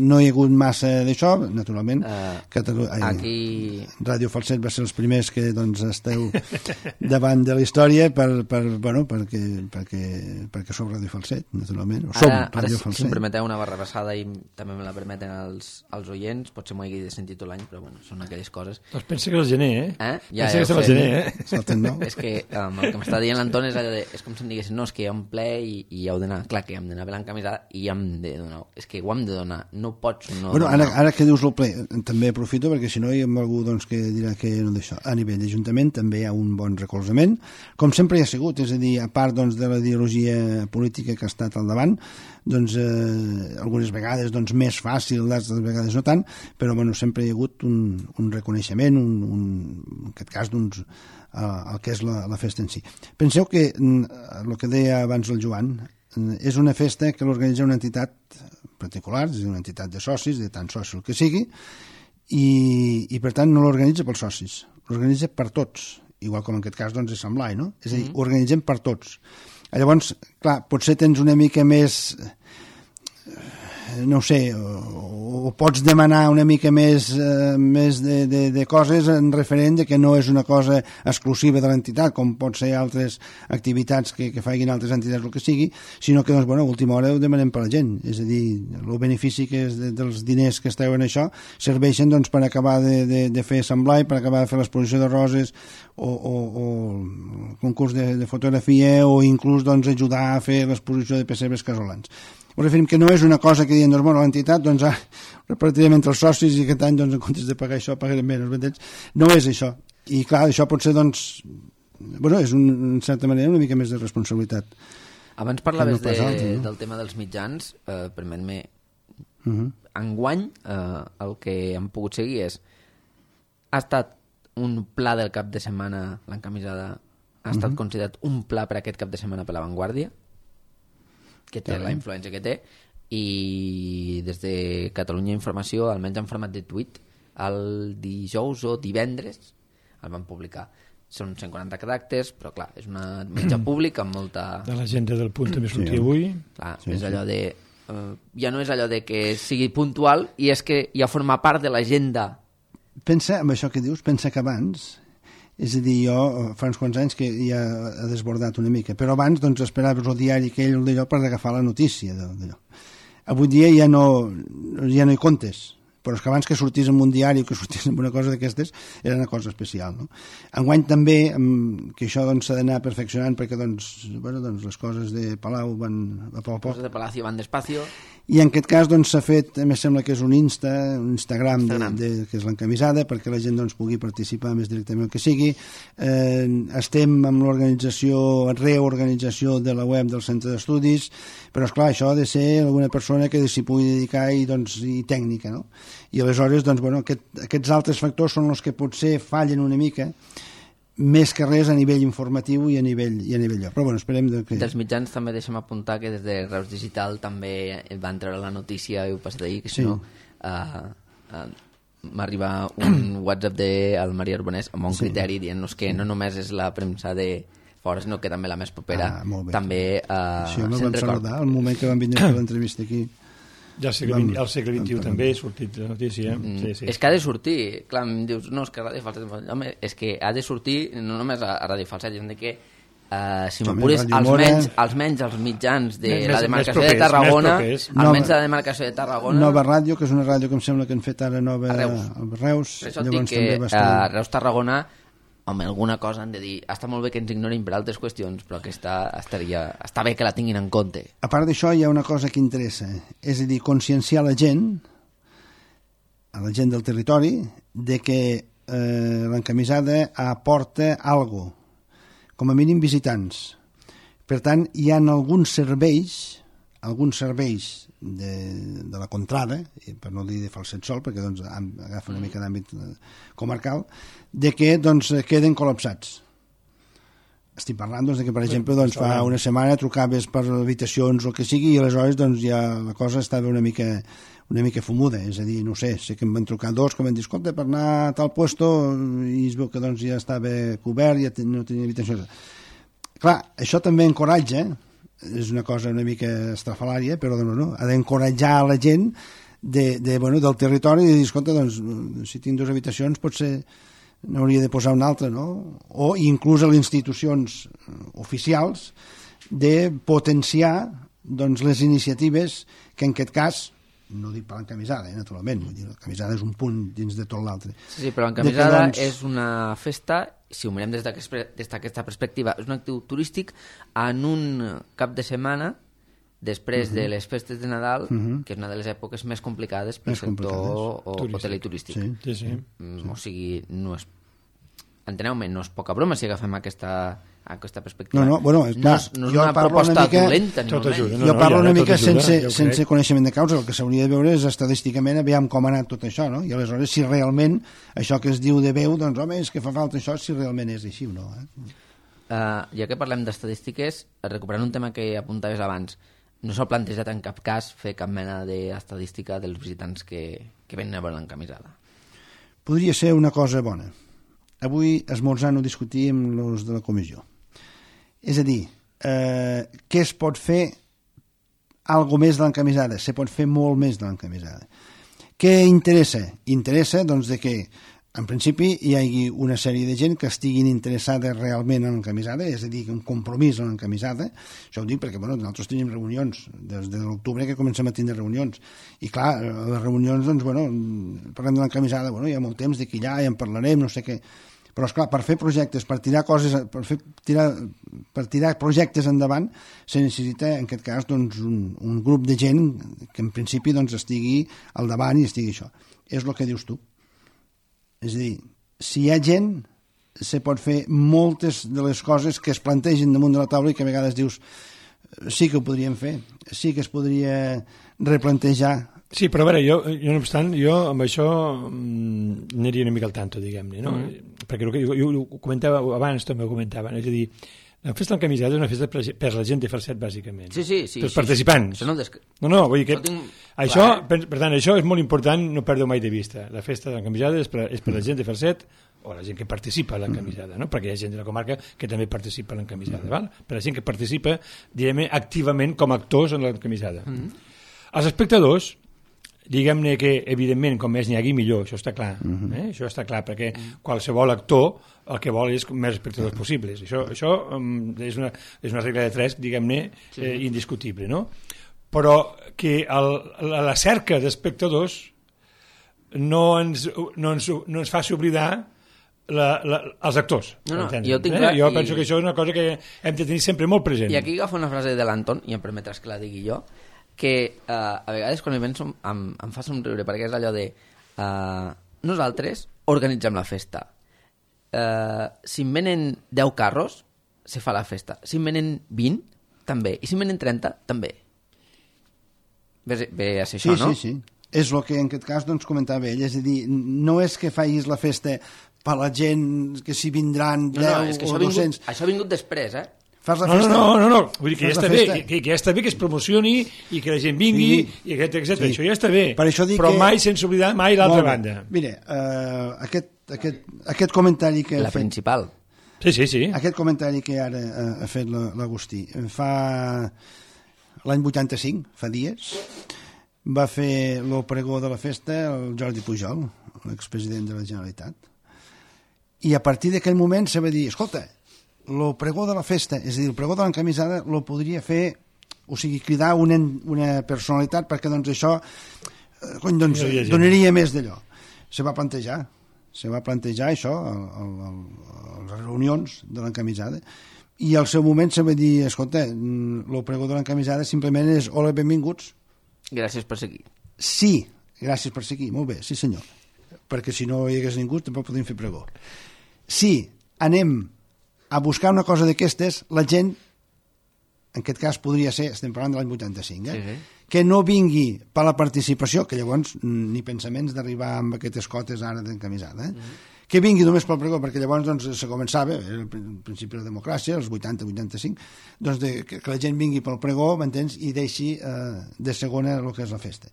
no hi ha hagut massa d'això, naturalment. Uh, Catalu ai, aquí... Ràdio Falset va ser els primers que doncs, esteu davant de la història per, per, bueno, perquè, perquè, perquè som Ràdio Falset, naturalment. O som ara, Ràdio ara, Falset. Si em permeteu una barra passada i també me la permeten els, els oients, potser m'ho hagi de sentir tot l'any, però bueno, són aquelles coses. Doncs pensa que és el gener, eh? eh? Ja, pensa ja que és el gener, eh? Salten, no? És que um, el que m'està dient l'Anton és allò de... És com si em diguessin, no, és que hi ha un ple i, i heu d'anar... Clar que hem d'anar bé l'encamisada i hem de donar... És que ho hem de donar, no pots no bueno, donar. Ara, ara que dius el ple, també aprofito perquè si no hi ha algú doncs, que dirà que no d'això. A nivell d'Ajuntament també hi ha un bon recolzament, com sempre hi ha sigut, és a dir, a part doncs, de la ideologia política que ha estat al davant, doncs eh, algunes vegades doncs, més fàcil, d'altres vegades no tant, però bueno, sempre hi ha hagut un, un reconeixement, un, un, en aquest cas, doncs, el que és la, la festa en si. Penseu que el que deia abans el Joan, és una festa que l'organitza una entitat particular, és una entitat de socis, de tant soci el que sigui, i, i per tant no l'organitza pels socis, l'organitza per tots, igual com en aquest cas doncs, és Sant Blai, no? És a dir, mm-hmm. organitzem per tots. Llavors, clar, potser tens una mica més, no ho sé, o, o pots demanar una mica més, eh, més de, de, de coses en referent de que no és una cosa exclusiva de l'entitat, com pot ser altres activitats que, que facin altres entitats o el que sigui, sinó que, doncs, bueno, a última hora ho demanem per la gent. És a dir, el benefici que és de, dels diners que esteu en això serveixen doncs, per acabar de, de, de fer Sant Blai, per acabar de fer l'exposició de roses o, o, o el concurs de, de fotografia o inclús doncs, ajudar a fer l'exposició de pessebres casolans. Us referim que no és una cosa que diuen, doncs, bueno, l'entitat doncs, ah, repartirem entre els socis i aquest any, doncs, en comptes de pagar això, pagarem menys. No és això. I, clar, això pot ser, doncs, bueno, és, un, en certa manera, una mica més de responsabilitat. Abans parlaves de, altre, no? del tema dels mitjans, eh, permet-me... Uh -huh. Enguany, eh, el que hem pogut seguir és... Ha estat un pla del cap de setmana, l'encamisada, ha estat uh -huh. considerat un pla per aquest cap de setmana per La Vanguardia, que té la influència que té, i des de Catalunya Informació, almenys en format de tuit, el dijous o divendres el van publicar. Són cent quaranta caràcters, però clar, és una mitja pública amb molta... De l'agenda del Punt també sortia sí. avui. Clar, sí, és allò de... Uh, ja no és allò de que sigui puntual, i és que ja forma part de l'agenda. Pensa, amb això que dius, pensa que abans... És a dir, jo fa uns quants anys que ja ha desbordat una mica, però abans doncs, esperaves el diari aquell o d'allò per agafar la notícia d'allò. Avui dia ja no, ja no hi comptes, però és que abans que sortís en un diari o que sortís en una cosa d'aquestes era una cosa especial, no? Enguany també, que això doncs, s'ha d'anar perfeccionant perquè doncs, bueno, doncs, les coses de Palau van a poc a poc. Les coses de Palacio van despacio. I en aquest cas doncs, s'ha fet, a més sembla que és un Insta, un Instagram, Instagram. De, de, que és l'encamisada, perquè la gent doncs, pugui participar més directament el que sigui. Eh, estem amb l'organització, reorganització de la web del centre d'estudis, però esclar, això ha de ser alguna persona que s'hi pugui dedicar i, doncs, i tècnica, no? I aleshores, doncs, bueno, aquest, aquests altres factors són els que potser fallen una mica, més que res a nivell informatiu i a nivell, i a nivell lloc. Però bueno, esperem de que... Dels mitjans també deixem apuntar que des de Reus Digital també van treure la notícia i ho passat ahir, que si sí. no uh, uh, m'arriba un WhatsApp del Maria Arbonès amb un sí. criteri dient-nos que sí. no només és la premsa de fora, sinó que també la més propera ah, també uh, sí, no vam saludar el moment que van vindre a l'entrevista aquí. Ja al segle, vint, al segle vint-i-u també ha sortit la notícia. Mm, sí, sí. És que ha de sortir. Clar, em dius, no, és que Ràdio Falset... Home, és que ha de sortir no només a Ràdio Falset, sinó que, uh, si m'apures, els menys, els menys els mitjans de més, la demarcació propers, de Tarragona, almenys de la demarcació de Tarragona... Nova Ràdio, que és una ràdio que em sembla que han fet ara nova... A Reus. A Reus. Per això et dic que a Reus Tarragona, home, alguna cosa han de dir. Està molt bé que ens ignorin per altres qüestions, però aquesta estaria, està bé que la tinguin en compte. A part d'això, hi ha una cosa que interessa, és a dir, conscienciar la gent, a la gent del territori, de que eh, l'encamisada aporta alguna cosa, com a mínim visitants. Per tant, hi ha alguns serveis, alguns serveis de, de la contrada, per no dir de Falset sol, perquè doncs, agafa una mica d'àmbit comarcal, de que doncs, queden col·lapsats. Estic parlant doncs, de que, per exemple, doncs, fa una setmana trucaves per habitacions o el que sigui i aleshores doncs, ja la cosa estava una mica, una mica fumuda. És a dir, no sé, sé que em van trucar dos que van dir, escolta, per anar a tal puesto, i es veu que doncs, ja estava cobert, ja no tenia habitacions. Clar, això també encoratja, és una cosa una mica estrafalària, però no, no, ha d'encoratjar a la gent de, de, bueno, del territori i de dir, escolta, doncs, si tinc dues habitacions potser n'hauria de posar una altra, no? O inclús a les institucions oficials de potenciar doncs, les iniciatives que en aquest cas, no dic per l'encamisada, eh, naturalment, vull dir, l'encamisada és un punt dins de tot l'altre. Sí, sí, però l'encamisada doncs... és una festa, si ho mirem des d'aquesta perspectiva, és un actiu turístic en un cap de setmana després uh -huh. de les festes de Nadal, uh -huh. que és una de les èpoques més complicades pel sector hotel i turístic. Sí, sí, sí. Mm, o sigui, no és... enteneu-me, no és poca broma si agafem aquesta, aquesta perspectiva. No, no, bueno, és, clar, no és, no és una proposta una mica, dolenta, ni molt menys. No, jo parlo no, una mica ajuda, sense, sense coneixement de causa. El que s'hauria de veure és estadísticament aviam com ha anat tot això, no? I aleshores si realment això que es diu de veu, doncs home, és que fa falta això, si realment és així o no. Eh? Uh, ja que parlem d'estadístiques, recuperant un tema que apuntaves abans, no s'ha plantejat en cap cas fer cap mena d'estadística dels visitants que, que venen a veure l'encamisada. Podria ser una cosa bona. Avui, esmorzant, ho discutíem amb els de la comissió. És a dir, eh, què es pot fer algo més de l'encamisada? Se pot fer molt més de l'encamisada. Què interessa? Interessa, doncs, de que en principi hi hagi una sèrie de gent que estiguin interessada realment en l'encamisada, és a dir, un compromís en l'encamisada. Això ho dic perquè, bueno, nosaltres tenim reunions des de l'octubre que comencem a tindre reunions. I clar, les reunions, doncs, bueno, parlem de l'encamisada, bueno, hi ha molt temps d'aquí allà, ja en parlarem, no sé què. Però, esclar, per fer projectes, per tirar coses, per, fer, tirar, per tirar projectes endavant, se necessita, en aquest cas, doncs, un, un grup de gent que, en principi, doncs, estigui al davant i estigui això. És el que dius tu. És a dir, si hi ha gent, se pot fer moltes de les coses que es plantegen damunt de la taula i que a vegades dius, sí que ho podríem fer, sí que es podria replantejar. Sí, però a veure, jo, jo no obstant, jo amb això mm, aniria una mica al tanto, diguem-ne, no? Mm. Perquè el que jo, jo ho comentava abans, també ho comentava, és a dir, la festa d'encamisada és una festa per la gent de Falset, bàsicament. Sí, sí, sí. Pels sí, participants. Sí, sí. No, des... no, no, vull dir que... No tinc... Això, per, per tant, això és molt important, no perdeu mai de vista. La festa d'encamisada és per, és per la gent de Falset o la gent que participa a l'encamisada, no? Perquè hi ha gent de la comarca que també participa a l'encamisada, mm. val? Per la gent que participa, direm, activament com a actors en l'encamisada. Mm. Els espectadors, diguem-ne que, evidentment, com més n'hi hagi, millor, això està clar. Mm-hmm. eh? Això està clar, perquè qualsevol actor el que vol és més espectadors possibles. Això, això um, és, una, és una regla de tres, diguem-ne, sí. eh, indiscutible, no? Però que el, la cerca d'espectadors no ens, no ens, no ens faci oblidar la, la, els actors. No, no, jo tinc eh? jo penso i... que això és una cosa que hem de tenir sempre molt present. I aquí agafo una frase de l'Anton, i em permetràs que la digui jo, que uh, a vegades quan hi penso em, em fa somriure, perquè és allò de uh, nosaltres organitzem la festa. Uh, si en venen deu carros, se fa la festa. Si en venen vint, també. I si en venen trenta, també. Ve, ve a ser sí, això, no? Sí, sí, sí. És el que en aquest cas doncs, comentava ell. És a dir, no és que facis la festa per la gent que s'hi vindran deu no, no, és que o dos cents. Vingut, això ha vingut després, eh? Fas la no, festa. No, no, no, no. Vull dir que ja està bé, que, que ja està bé que es promocioni i que la gent vingui, sí, i etcètera, etcètera. Sí. Això ja està bé. Per això dic però que... mai sense oblidar mai l'altra banda. Mira, uh, aquest, aquest, aquest comentari que... La fet, principal. Sí, sí, sí. Aquest comentari que ara uh, ha fet l'Agustí fa l'any vuitanta-cinc, fa dies, va fer el pregó de la festa el Jordi Pujol, l'expresident de la Generalitat. I a partir d'aquell moment se va dir, escolta, el pregó de la festa, és a dir, el pregó de l'encamisada lo podria fer, o sigui, cridar una, una personalitat perquè doncs això eh, cony, doncs, donaria més d'allò. Se va plantejar. se va plantejar això a, a, a les reunions de l'encamisada, i al seu moment se va dir, escolta, el pregó de l'encamisada simplement és hola, benvinguts. Gràcies per seguir. Sí, gràcies per seguir, molt bé, sí senyor, perquè si no hi hagués ningú tampoc podíem fer pregó. Si anem a buscar una cosa d'aquestes, la gent, en aquest cas podria ser, estem parlant de l'any vuitanta-cinc, eh? Sí, sí. Que no vingui per la participació, que llavors ni pensaments d'arribar amb aquestes cotes ara d'encamisada, eh? Mm-hmm. Que vingui només pel pregó, perquè llavors doncs, se començava, el principi de la democràcia, els vuitanta vuitanta-cinc, doncs de, que, que la gent vingui pel pregó, m'entens, i deixi eh, de segona el que és la festa.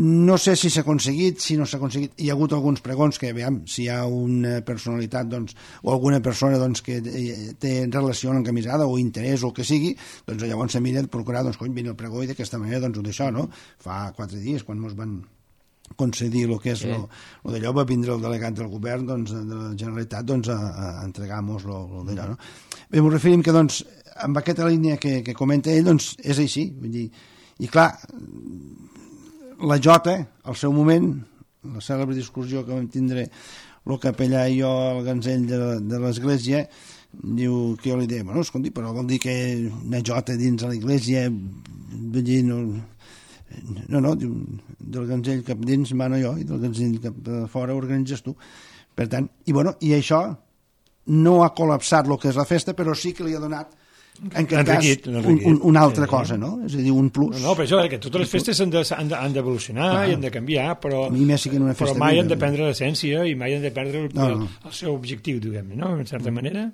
No sé si s'ha aconseguit, si no s'ha aconseguit. Hi ha hagut alguns pregons que, veiem, si hi ha una personalitat doncs, o alguna persona doncs, que té relació amb l'encamisada o interès o el que sigui, doncs llavors se mira de procurar, doncs, cony, vine el pregó i d'aquesta manera, doncs, ho d'això, no? Fa quatre dies, quan ens van concedir el que és sí. lo, lo d'allò, va vindre el delegat del govern doncs, de la Generalitat doncs, a, a entregar-nos lo, lo d'allò, no? Bé, m'ho referim que, doncs, amb aquesta línia que, que comenta ell, doncs, és així, vull dir, i clar, la Jota, al seu moment, la cèlebre discussió que vam tindre el capellà i jo al ganzell de, de l'església, diu que jo li deia, bueno, escolti, però vol dir que una Jota dins de l'església, vull dir, no... No, no, diu, del ganzell cap dins mano jo i del ganzell cap fora organitzes tu. Per tant, i bueno, i això no ha col·lapsat el que és la festa, però sí que li ha donat en aquest enriquit, cas un, un, una altra cosa, no? És a dir, un plus. No, no, però això, eh, que totes les festes han d'evolucionar ah, i han de canviar, però, a mi més sí que una festa però mai han de perdre l'essència i mai han de perdre el, no, no. el, el seu objectiu, diguem-ne, no? En certa manera.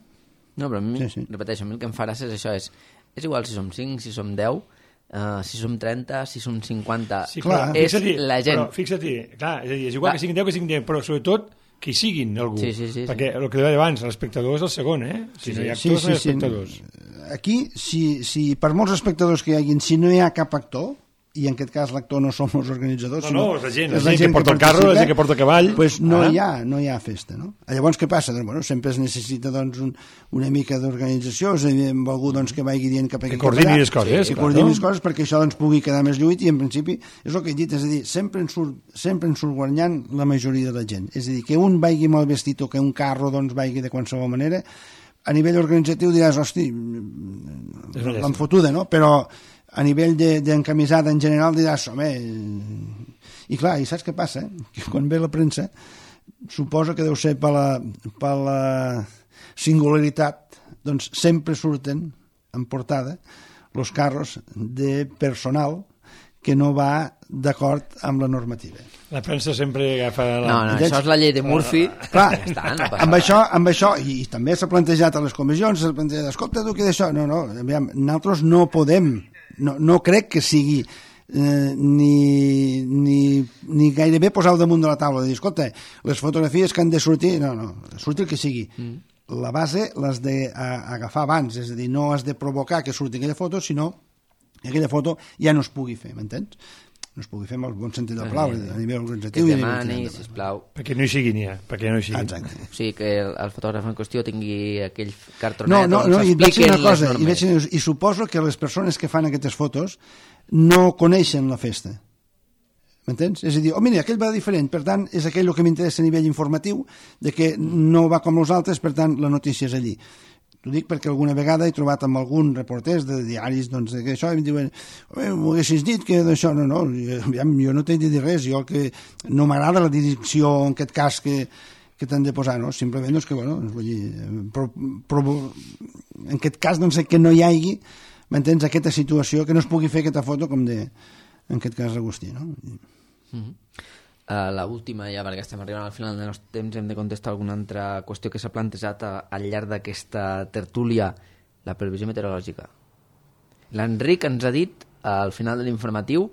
No, però a mi, sí, sí. repeteixo, a mi el que em fa gràcia és això, és, és igual si som cinc, si som deu, Uh, si som trenta, si som cinquanta, sí, clar, és la gent. Però fixa't-hi, clar, és, a dir, és igual clar. Que siguin deu que siguin deu, però sobretot que hi siguin algú. Sí, sí, sí, perquè sí. el que deia abans, l'espectador és el segon, eh? Si sí, no hi ha actors, sí, sí, no hi ha espectadors. Sí. Aquí, si, si per molts espectadors que hi hagin, si no hi ha cap actor, i en aquest cas l'actor no som els organitzadors, no, no, és la gent, és la gent, gent que porta el carro, la gent que porta el cavall, pues no, ah. hi ha, no hi ha festa, no? Llavors què passa? Doncs, bueno, sempre es necessita doncs, un, una mica d'organització, és a dir, amb algú doncs, que vagi dient cap aquí, que coordini les coses, que coordini les coses perquè això doncs, pugui quedar més lluit, i en principi és el que he dit, és a dir, sempre en surt, sempre en surt guanyant la majoria de la gent, és a dir, que un vagi mal vestit o que un carro doncs, vagi de qualsevol manera, a nivell organitzatiu diràs, hosti, l'han fotuda, no? Però a nivell d'encamisada en general diràs, home, i clar, i saps què passa? Que quan ve la premsa suposo que deu ser per la, per la singularitat, doncs sempre surten en portada els carros de personal que no va d'acord amb la normativa. La premsa sempre agafa... La... No, no, això és la llei de Murphy. Clar, ja està, no amb, això, amb això, i, i també s'ha plantejat a les comissions, s'ha plantejat, escolta, tu, què d'això? No, no, aviam, nosaltres no podem, no, no crec que sigui eh, ni, ni, ni gairebé posar-ho damunt de la taula, de dir, escolta, les fotografies que han de sortir, no, no, surti el que sigui. Mm. La base l'has d'agafar abans, és a dir, no has de provocar que surti aquella foto, sinó que aquella foto ja no es pugui fer, m'entens? No es pugui fer amb el bon sentit de la paraula, a nivell organitzatiu. Que es demani, sisplau. Perquè no hi sigui n'hi ha, perquè no hi sigui. Exacte. O sigui, que el, el fotògraf en qüestió tingui aquell cartronet no, no, on no, s'expliquen una cosa, les normes. I, i suposo que les persones que fan aquestes fotos no coneixen la festa. M'entens? És a dir, oh, mira, aquell va diferent, per tant, és aquell el que m'interessa a nivell informatiu, de que no va com els altres, per tant, la notícia és allí. T'ho dic perquè alguna vegada he trobat amb algun reporters de diaris doncs, que això, i em diuen, m'ho haguessis dit que d'això, no, no, jo no t'he de dir res, jo que no m'agrada la direcció, en aquest cas, que, que t'han de posar, no? Simplement, doncs, que, bueno, vull dir, però, però, en aquest cas, doncs, que no hi hagi, m'entens, aquesta situació, que no es pugui fer aquesta foto com de, en aquest cas, Agustí, no? Mm-hmm. Uh, la última, ja perquè estem arribant al final del nostre temps, hem de contestar alguna altra qüestió que s'ha plantejat a, al llarg d'aquesta tertúlia, la previsió meteorològica. L'Enric ens ha dit al final de l'informatiu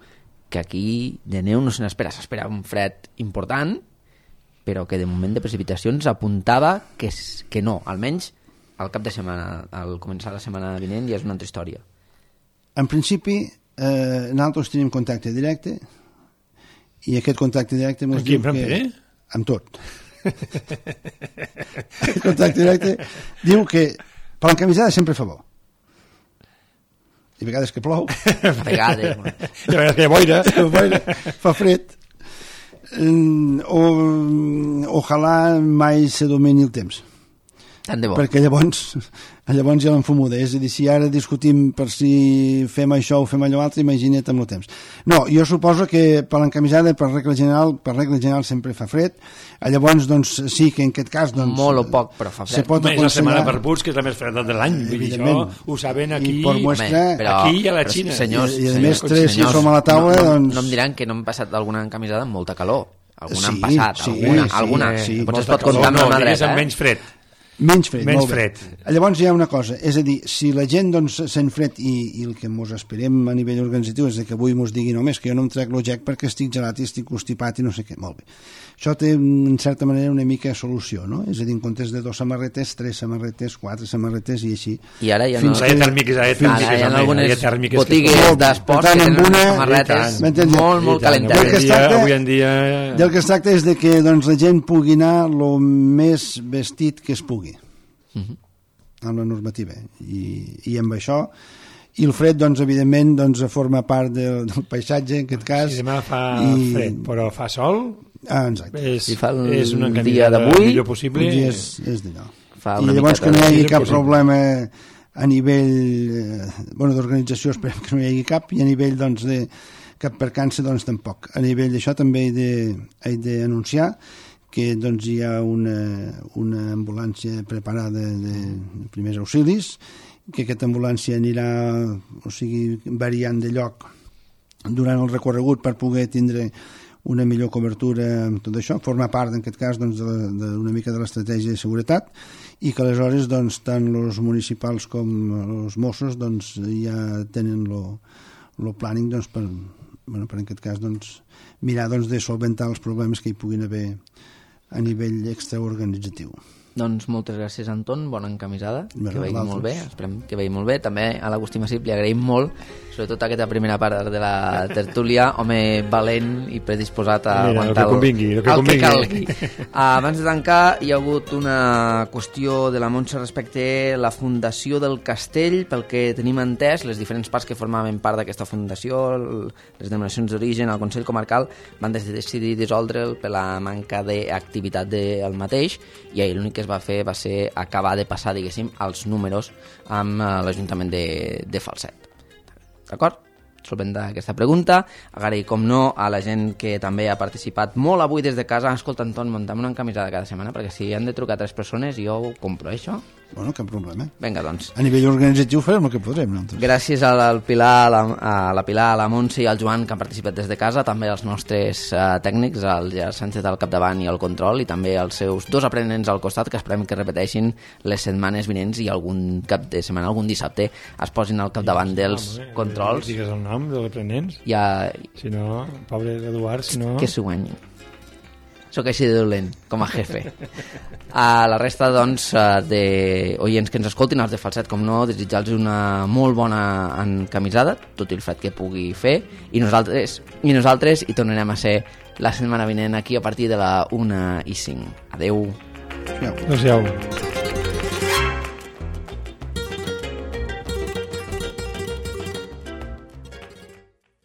que aquí de neu no se n'espera, s'espera un fred important, però que de moment de precipitacions apuntava que, que no, almenys al cap de setmana, al començar la setmana vinent ja és una altra història. En principi, eh, nosaltres tenim contacte directe, i aquest contacte directe mos diu que... Amb tot. Aquest contacte directe diu que per l'encamisada sempre fa bo. I a vegades que plou. A vegades. I a vegades que hi ha boira. boira. Fa fred. Eh, o, ojalà mai se domini el temps. Tant de bo. Perquè llavors, llavors ja l'enfumo de, és a dir, si ara discutim per si fem això o fem allò altre, imagina't amb el temps. No, jo suposo que per l'encamisada, per regla general, per regla general sempre fa fred, llavors, doncs, sí que en aquest cas, doncs... Molt o poc, però fa fred. Se pot Més la setmana per aconsellar... Puig, que és la més freda de l'any, vull dir, això ho saben aquí, I per muestra, Home, però, aquí i a la però, Xina. Senyors, I, i a senyors, més, tres que senyors, som a la taula, no, no, doncs... no em diran que no hem passat alguna encamisada amb molta calor. Alguna Sí, han passat, sí, alguna, sí, alguna. sí. Potser es Molta pot comptar amb calor, la mà no, digues dreta, amb eh? menys fred. Menys fred, Menys molt bé. fred. Llavors hi ha una cosa, és a dir, si la gent doncs, sent fred i, i el que mos esperem a nivell organitzatiu és que avui mos digui només que jo no em trec l'ojec perquè estic gelat i estic constipat i no sé què, molt bé. Això té, en certa manera, una mica solució, no? És a dir, en comptes de dos samarretes, tres samarretes, quatre samarretes i així. I ara ja no... Fins Hi ha tèrmiques, hi ha Ara tèrmiques, hi ha home, algunes hi ha tèrmiques botigues que... d'esports Per tant, que amb tenen una- samarretes M'entens? molt, molt I tant, calentes. Del que es Avui en dia, tracta- avui en dia... Del que es tracta és de que doncs, la gent pugui anar el més vestit que es pugui. Amb la normativa. I, i amb això... I el fred, doncs, evidentment, doncs, forma part del, del paisatge, en aquest cas. Si demà fa I... fred, però fa sol, Ah, exacte. és, Si fa el és una dia encamisada d'avui, millor possible. I és, és d'allò. Fa I una llavors miqueta que no hi de- hagi és cap possible. problema a nivell eh, bueno, d'organització, esperem que no hi hagi cap, i a nivell doncs, de cap percança doncs, tampoc. A nivell d'això també he de- he d'anunciar que doncs, hi ha una, una ambulància preparada de, de primers auxilis, que aquesta ambulància anirà, o sigui, variant de lloc durant el recorregut per poder tindre una millor cobertura amb tot això, forma part en aquest cas doncs, de- d'una mica de l'estratègia de seguretat i que aleshores doncs, tant els municipals com els Mossos doncs, ja tenen el planning doncs, per, bueno, per en aquest cas doncs, mirar doncs, de solventar els problemes que hi puguin haver a nivell extraorganitzatiu. Doncs moltes gràcies, Anton, bona encamisada, Bé, que vagi vosaltres. molt bé, esperem que vagi molt bé. També a l'Agustí Massip li agraïm molt, sobretot aquesta primera part de la tertúlia, home valent i predisposat a Mira, el aguantar que convingui, el que convingui. calgui. Abans de tancar, hi ha hagut una qüestió de la Montse respecte a la fundació del castell, pel que tenim entès, les diferents parts que formaven part d'aquesta fundació, el- les denominacions d'origen, el Consell Comarcal, van des- decidir dissoldre'l per la manca d'activitat del mateix, i ahir l'únic que es va fer va ser acabar de passar, diguéssim, els números amb eh, l'Ajuntament de, de Falset. D'acord? Solventa aquesta pregunta. Agrair, com no, a la gent que també ha participat molt avui des de casa. Escolta, Anton, muntem una encamisada cada setmana, perquè si han de trucar tres persones, jo ho compro, eh, això. Bueno, cap problema. Vinga, doncs. A nivell organitzatiu farem el que podrem nosaltres. Gràcies al, al Pilar, a la, a la Pilar, a la Montse i al Joan, que han participat des de casa, també als nostres uh, tècnics, el Gerard Sánchez al capdavant i al control, i també als seus dos aprenents al costat, que esperem que repeteixin les setmanes vinents i algun cap de setmana, algun dissabte, es posin al capdavant dels Home, controls. Digues el nom dels aprenents. Ja, Si no, pobre Eduard, si no... que s'ho guanyi. Sóc així de dolent, com a jefe. A la resta, doncs, eh, de oients que ens escoltin, els de Falset, com no, desitjar-los una molt bona encamisada, tot i el fred que pugui fer, i nosaltres, i nosaltres hi tornarem a ser la setmana vinent aquí a partir de la una i cinc. Adeu. Ja. Adéu-siau.